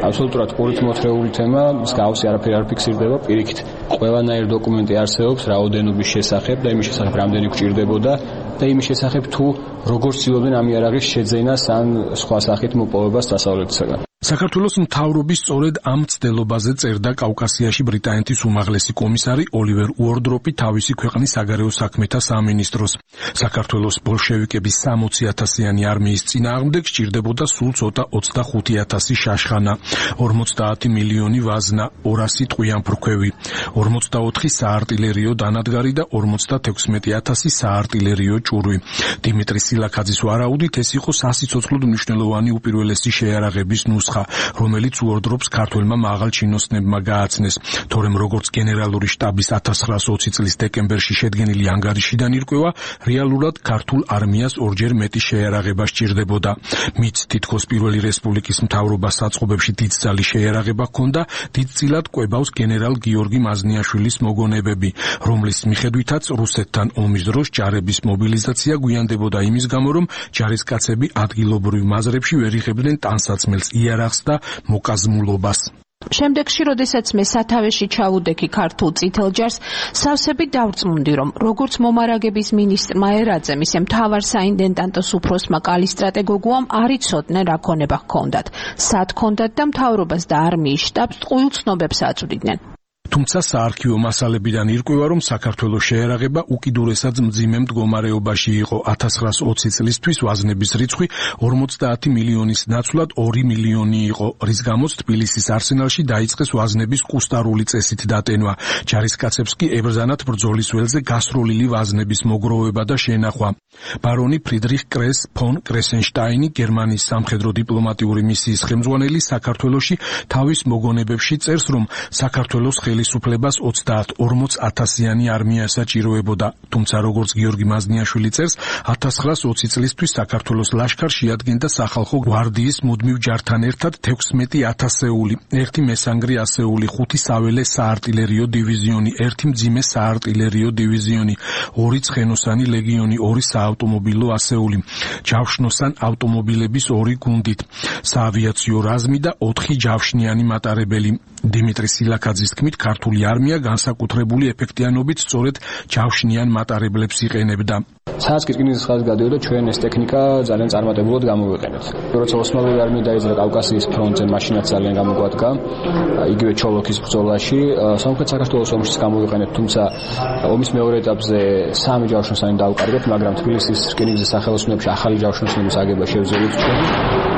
აბსოლუტურად ყურით მოთრეული თემა, გავსი არაფერი არ ფიქსირდება, პირიქით ყველანაირი დოკუმენტი არსებობს რაოდენობის შესახებ და იმის შესახებ რამდენი გვჭირდებოდა და იმის შესახებ თუ როგორ ცდილობდნენ ამ იარაღის შეძენას ან სხვა სახით მოპოვებას დასავლეთისაგან. საქართველოს მთავრობის სწორედ ამ ცდილობაზე წერდა კავკასიაში ბრიტანეთის უმაღლესი კომისარი ოლივერ უორდროპი თავისი ქვეყნის საგარეო საქმეთა სამინისტროს. საქართველოს ბოლშევიკების სამოცი ათასიანი არმიის წინააღმდეგ სჭირდებოდა სულ ცოტა ოცდახუთი ათასი შაშხანა, ორმოცდაათი მილიონი ვაზნა, ორასი ტყვიამფრქვევი, ორმოცდაოთხი საარტილერიო დანადგარი და ორმოცდათექვსმეტი ათასი საარტილერიო ჭურვი. დიმიტრი სილაქაძის ვარაუდით ეს იყო სასიცოცხლოდ მნიშვნელოვანი უპირველესი შეიარაღების ნუსხა, რომელიც უორდროპს ქართველმა მაღალ ჩინოსნებმა გააცნეს, თორემ როგორც გენერალური შტაბის ათას ცხრაასი ოცი წლის დეკემბერში შედგენილი ანგარიშიდან ირკვევა, რეალურად ქართულ არმიას ორჯერ მეტი შეიარაღება სჭირდებოდა. მით თითქოს პირველი რესპუბლიკის მთავრობას საწყობებში დიდძალი შეიარაღება ჰქონდა, დიდწილად კვებავს გენერალ გიორგი მაზნიაშვილის მოგონებები, რომლის მიხედვითაც რუსეთთან ომის დროს ჯარების მობილიზაცია გვიანდებოდა იმის გამო, რომ ჯარისკაცები ადგილობრივ მაზრებში ვერ იღებდნენ ტანსაცმელს, იარაღს და მოკაზმულობას. შემდეგში, როდესაც მე სათავეში ჩავუდექი ქართულ წითელ ჯარს, სავსები დავრწმუნდი, რომ როგორც მომარაგების მინისტრმა ერაძემ, ისე მთავარ საინტენდანტოს უფროსმა კალისტრატე გოგუამ არ იცოდნენ რა ქონება ჰქონდათ, სად ჰქონდათ და მთავრობას და არმიის შტაბს ტყუილ ცნობებს აწვდიდნენ. თუმცა საარქივო მასალებიდან ირკვევა, რომ საქართველოს შეიარაღება უკიდურესად მძიმე მდგომარეობაში იყო. ათას ცხრაასი ოცი წლისთვის ვაზნების რიცხვი ორმოცდაათი მილიონის ნაცვლად ორი მილიონი იყო, რის გამოც თბილისის არსენალში დაიწყეს ვაზნების კუსტარული წესით დატენვა. ჯარისკაცებს კი ებრძანათ ბრძოლის ველზე გასროლილი ვაზნების მოგროვება და შენახვა. ბარონი ფრიდრიხ კრეს ფონ კრესენშტაინი, გერმანიის სამხედრო დიპლომატიური მისიის ხელმძღვანელი, საქართველოში თავის მოგონებებში წერს, რომ საქართველოს ხელისუფლებას ოცდაათ ორმოც ათასიანი არმია საჭიროებოდა, თუმცა როგორც გიორგი მაზნიაშვილი წერს, ათას ცხრაასი ოცი წლისთვის საქართველოს ლაშქარს შეადგენდა სახალხო გვარდიის მუდმივ ჯართან ერთად თექვსმეტი ათასეული, ერთი მესანგრი ასეული, ხუთი საველე საარტილერიო დივიზიონი, ერთი მძიმე საარტილერიო დივიზიონი, ორი ცხენოსანი ლეგიონი, ორი საავტომობილო ასეული, ჯავშნოსან ავტომობილების ორი გუნდით, საავიაციო რაზმი და ოთხი ჯავშნიანი მატარებელი. დიმიტრი სილაქაძის თქმით, ქართული არმია განსაკუთრებული ეფექტიანობით სწორედ ჯავშნიან მატარებლებს იყენებდა. სადაც კი რკინის ხაზს გადიოდა, ჩვენ ეს ტექნიკა ძალიან წარმატებულად გამოვიყენეთ. როცა ოსმალური არმია დაიძრა კავკასიის ფრონტზე, მაშინაც ძალიან გამოგვადგა, იგივე ჩოლოქის ბრძოლაში, სამხრეთ საქართველოს ომშიც გამოვიყენეთ, თუმცა ომის მეორე ეტაპზე სამი ჯავშნოსანი დავუკარგეთ, მაგრამ თბილისის რკინიგზის სახელოსნოებში ახალი ჯავშნოსნების აგება შევძელით ჩვენ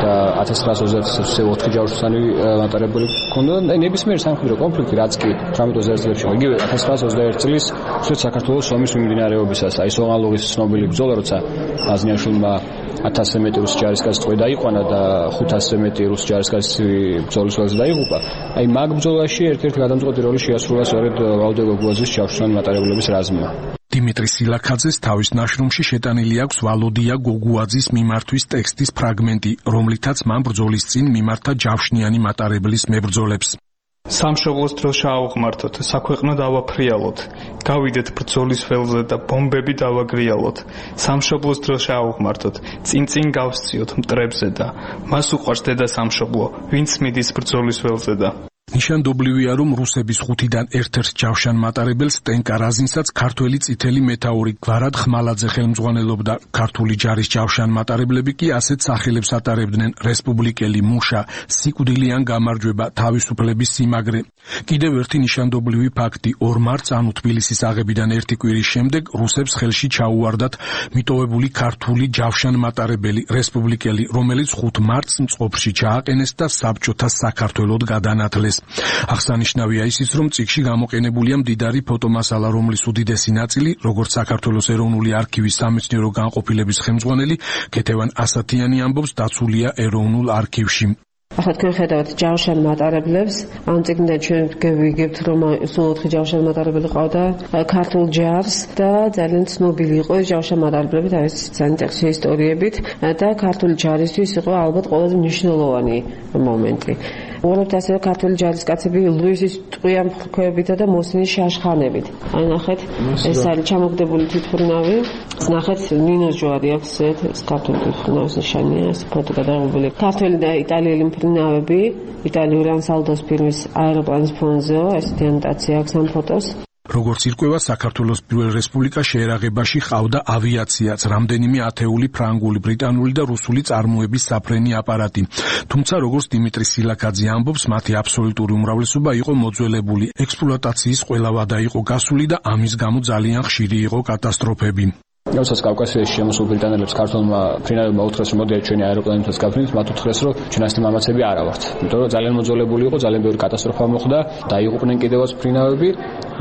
და ათას ცხრაასი ოცდაათი წელს ოთხი ჯავშნოსანი მატარებელი ჰქონდა და ნებისმიერი სამხედრო კონფლიქტი, რაც კი ოცდაათი წლებში იგივე ათას ცხრაას ოცდაერთი წლის საქართველოს ომის მიმდინარეობისას, აი სოღალუღის ცნობილი ბრძოლა, როცა აზნიაშვილმა ათასზე მეტი რუსი ჯარისკაცი ტყვე დაიყვანა და ხუთასზე მეტი რუსი ჯარისკაცი ბრძოლის ველზე დაიღუპა. აი მაგ ბრძოლაში ერთ-ერთი გადამწყვეტი როლი შეასრულა სწორედ ვალდე გოგუაძის ჯავშნიანი მატარებლების რაზმმა. დიმიტრი სილაქაძეს თავის ნაშრომში შეტანილი აქვს ვალოდია გოგუაძის მიმართვის ტექსტის ფრაგმენტი, რომლითაც მან ბრძოლის წინ მიმართა ჯავშნიანი მატარებლის მებრძოლებს. სამშობლოს დროს ჩაავღმართოთ, საქვეყნო დავაფრიალოთ, გავიდეთ ბრძოლის ველზე და ბომბები დავაგრიალოთ. სამშობლოს დროს ჩაავღმართოთ, წინ-წინ გავსციოთ მტრებზე და მას უყვარს დედა სამშობლო, ვინც მიდის ბრძოლის ველზე და ნიშანდობლივია, რომ რუსების ხუთიდან ერთ-ერთ ჯავშან მატარებელს ტენკა რაზინსაც ქართველი წითელი მეთაური გვარად ხმალაძე ხელმძღვანელობდა. ქართული ჯარის ჯავშან მატარებლები კი ასეთ სახელებს ატარებდნენ: რესპუბლიკელი მუშა, სიკვდილიან გამარჯვება, თავისუფლების სიმაგრე. კიდევ ერთი ნიშანდობლივი ფაქტი: ორ მარტს, ანუ თბილისის აღებიდან ერთი კვირის შემდეგ, რუსებს ხელში ჩაუვარდათ მიტოვებული ქართული ჯავშან მატარებელი, რესპუბლიკელი, რომელიც ხუთ მარტს მწყობრში ჩააყენეს და საბჭოთა საქართველოდ გადანათლეს. აღსანიშნავია ისიც, რომ წიგნში გამოყენებულია მდიდარი ფოტომასალა, რომლის უდიდესი ნაწილი, როგორც საქართველოს ეროვნული არქივის სამეცნიერო განყოფილების ხელმძღვანელი ქეთევან ასათიანი ამბობს, დაცულია ეროვნულ არქივში. ახლა თქვენ ხედავთ ჯავშან მატარებლებს, ამ წიგნიდან ჩვენ გვიგებთ, რომ სულ ოთხი ჯავშან მატარებელი ყავდა ქართულ ჯარს და ძალიან ცნობილი იყო ეს ჯავშან მატარებლები თავის სანიტარში ისტორიებით და ქართული ჯარისთვის იყო ალბათ ყველაზე მნიშვნელოვანი მომენტი. უბრალოდ ასევე ქართული ჯარისკაცები ლუისის ტყვიან მხრქვევებითა და მოსინის შაშხანებით. აი ნახეთ, ეს არის ჩამოგდებული თვითმფრინავი. ნახეთ, ნინოს ჯვარი აქვს ეს ქართული თვითმფრინავის ნიშანია, ეს ფოტო გადაღებული. ქართველი და იტალიელი მფრინავები, იტალიური ანსალდოს ფირმის აეროპლანის ფონზეო, ესეთი ანოტაცია აქვს ამ ფოტოს. როგორც ირკვევა, საქართველოს პირველ რესპუბლიკას შეერაღებაში ყავდა ავიაციაც, რამდენიმე ათეული ფრანგული, ბრიტანული და რუსული წარმოების საფრენი აპარატი. თუმცა, როგორც დიმიტრი სილაქაძე ამბობს, მათი აბსოლუტური უმრავლესობა იყო მოძველებული, ექსპლუატაციის ყველა ვადა იყო გასული და ამის გამო ძალიან ხშირი იყო კატასტროფები. როდესაც კავკასიაში შემოსულ ბრიტანელებს ქართულმა ფრინავებმა უთხრეს, რომ მოდიათ ჩვენი აეროპლანით გავფრინდით, მათ უთხრეს, რომ ჩვენ ასეთი მამაცები არა ვართ. იმიტომ რომ ძალიან მოძველებული იყო, ძალიან ბევრი კატასტროფა მოხდა, დაიღუპნენ კიდევაც ფრინავები,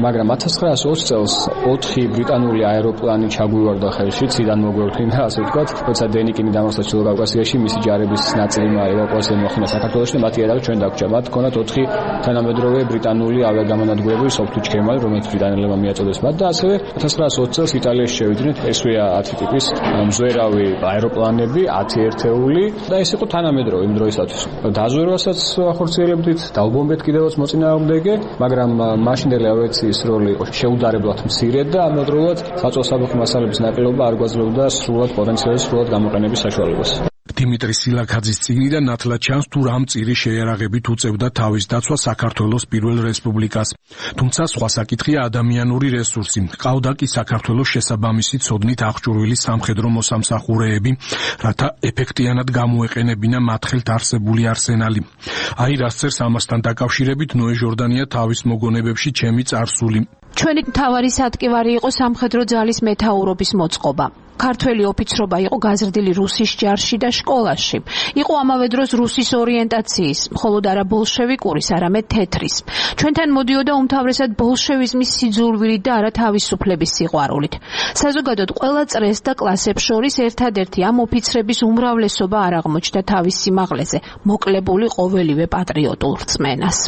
მაგრამ ათას ცხრაას ოცი წელს ოთხი ბრიტანული აეროპლანი ჩაგვივარდა ხელში, ციდან მოგვეფრინდა, ასე ვთქვათ, როცა დენიკინი დამარცხდა ჩრდილო კავკასიაში, მისი ჯარების ნაწილი ევაკუაცია მოხდა საქართველოში და მათი იარაღი ჩვენ დაგვრჩა. მათ ჰქონდათ ოთხი თანამედროვე ბრიტანული ავიაგამონადგურები, soft ჩქემალი, რომელიც ბრიტანელებმა მიაწოდეს მათ და ასევე ათას ცხრაას ოცი წელს იტალიაში შევიდნენ. ესვია ათი ტიპის მზვერავი აეროპლანები, ათი ერთეული და ეს იყო თანამედროვე იმ დროისათვის. დაზვერვასაც ახორციელებდით, დაუბომბეთ კიდევაც მოწინააღმდეგე, მაგრამ მაშინდელი ავიაციის როლი იყო შეუდარებლად მცირე და ამავდროულად საწოლსაბახო მასალების ნაკლებობა არ გვაძლევდა სრულად პოტენციალის სრულად გამოყენების საშუალებას. დიმიტრი სილაქაძის წიგნიდან ნათლად ჩანს, თუ რამ წირი შეერაღებით უწევდა თავის დაცვა საქართველოს პირველ რესპუბლიკას. თუმცა სხვა საკითხია ადამიანური რესურსი. ყავდა კი საქართველოს შესაბამისი ცოდნით აღჭურვილი სამხედრო მოსამსახურეები, რათა ეფექტიანად გამოეყენებინა მათ ხელთ არსებული არსენალი. აი რას წერს ამასთან დაკავშირებით ნოე ჟორდანია თავის მოგონებებში ჩემი წარსული. ჩვენი მთავარი სატკივარი იყო სამხედრო ძალის მეთაურობის მოწყობა. ქართველი ოფიცრობა იყო გაზრდილი რუსის ჯარში და შკოლაში. იყო ამავე დროს რუსის ორიენტაციის, მხოლოდ არა ბოლშევიკურის, არამედ თეთრის. ჩვენთან მოდიოდა უმთავრესად ბოლშევიზმის სიძულვილით და არა თავისუფლების სიყვარულით. საზოგადოდ ყველა წრეს და კლასებს შორის ერთადერთი ამ ოფიცრების უმრავლესობა არ აღმოჩნდა თავის სიმაღლეზე, მოკლებული ყოველივე პატრიოტულ რწმენას.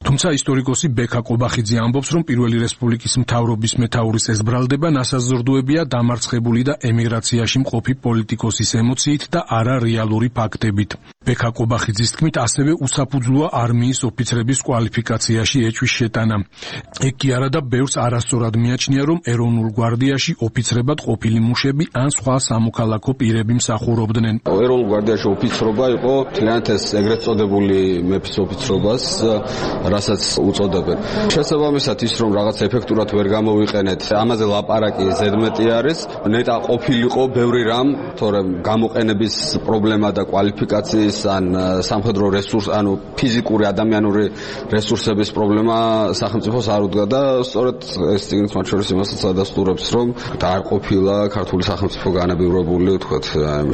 თუმცა ისტორიკოსი ბექა ყობახიძე ამბობს, რომ პირველი რესპუბლიკის მთავრობის მეთაურის ეს ბრალდება ნასაზრდუებია დამარცხებული და ემიგრაციაში მყოფი პოლიტიკოსის ემოციით და არა რეალური ფაქტებით. ბექა ყობახიძის თქმით, ასევე უსაფუძვლოა არმიის ოფიცრების კვალიფიკაციაში ეჭვის შეტანა. ეგ კი არა და ბევრს არასწორად მიაჩნია, რომ ეროვნულ გვარდიაში ოფიცრებად ყოფილი მუშები ან სხვა სამოქალაქო პირები მსახურობდნენ. ეროვნულ გვარდიაში ოფიცრობა იყო თლიანად ეს ეგრეთ წოდებული მეფის ოფიცრობას, რასაც უწოდებენ. შესაბამისად ის რომ რაღაც ეფექტურად ვერ გამოვიყენეთ, ამაზე ლაპარაკი ზედმეტი არის. ნეტა ყოფილიყო ბევრი რამ, თორემ გამოყენების პრობლემა და კვალიფიკაციის ან სამხედრო რესურს, ანუ ფიზიკური ადამიანური რესურსების პრობლემა სახელმწიფოს არ უდგა და სწორედ ეს წიგნით მათ შორის იმასაც ადასტურებს, რომ და არ ყოფილა ქართული სახელმწიფო განებივრებული, ვთქვათ,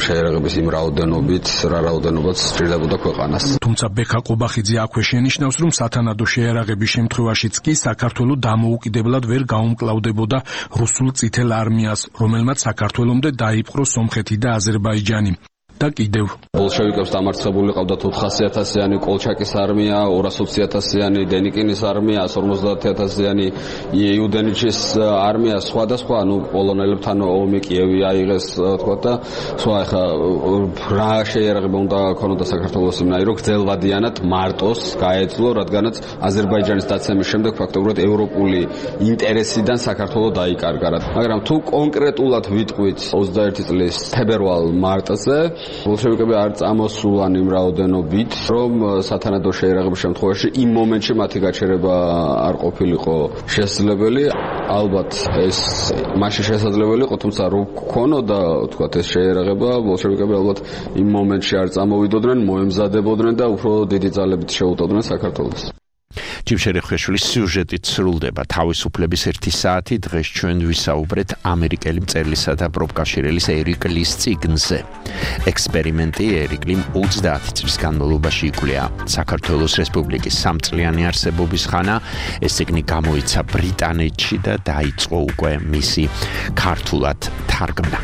შეერაღების იმ რაოდენობით, რა რაოდენობაც სჭირდებოდა ქვეყანას. თუმცა ბექა ყობახიძე აქვე შენიშნავს, რომ სათანადო სათანადო შეიარაღების შემთხვევაშიც კი საქართველოს დამოუკიდებლად ვერ გაუმკლავდებოდა რუსულ წითელ არმიას, რომელმაც საქართველომდე დაიპყრო სომხეთი და აზერბაიჯანი. და კიდევ ბოლშევიკებს დამარცხებული ყავდათ ოთხასი ათასიანი კოლჩაკის არმია, ორას ოცი ათასიანი დენიკინის არმია, ათას ორმოცდაათი ათასიანი იუდენიჩის არმია, სხვა და სხვა, ну პოლონელებთან ომი კიევი აიღეს, თქვა და სხვა ახლა რა შეიარაღება უნდა ქონოდა საქართველოს იმნაირო, რომ გრძელვადიანად მარტოს გაეძლო, რადგანაც აზერბაიჯანის დაცემის შემდეგ ფაქტობრივად ევროპული ინტერესიდან საქართველოს დაიკარგა. მაგრამ თუ კონკრეტულად ვიტყვით ოცდაერთი წლის თებერვალ-მარტზე ბოლშევიკები არ წამოსულან იმ რაოდენობით, რომ სათანადო შეიარაღების შემთხვევაში იმ მომენტში მათი გაჩერება არ ყოფილიყო შესაძლებელი. ალბათ ეს მაშინ შესაძლებელი იყო, თუმცა რო გქონოდა, თქვათ, ეს შეიარაღება, ბოლშევიკები ალბათ იმ მომენტში არ წამოვიდოდნენ, მოემზადებოდნენ და უფრო დიდი ძალებით შეუტოვდნენ საქართველოს. ჯიმშერი ხვეშვილის სიუჟეტით სრულდება თავისუფლების ერთი საათი. დღეს ჩვენ ვისაუბრეთ ამერიკელი მწერლისა და პროფკავშირელის ერიკ ლის წიგნზე. ექსპერიმენტი ერიკ ლიმ ოცდაათი წლის განმავლობაში იკვლია საქართველოს რესპუბლიკის სამწლიანი არსებობის ხანა. ეს წიგნი გამოიცა ბრიტანეთში და დაიწყო უკვე მისი ქართულად თარგმნა.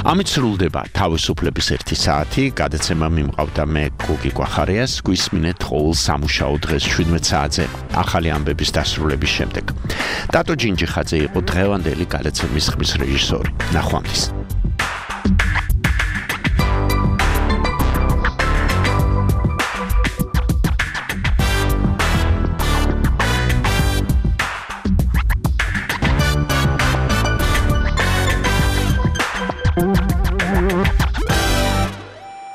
ამით სრულდება თავისუფლების ერთი საათი. გადაცემა მიმყავდა მე გოგი კვახარიას. გვისმინეთ ყოველ სამუშაო დღეს შვიდმეტ საათზე ახალი ამბების დასრულების შემდეგ. დატო ჯინჯიხაძე იყო დღევანდელი გადაცემის ხმის რეჟისორი. ნახვამდის.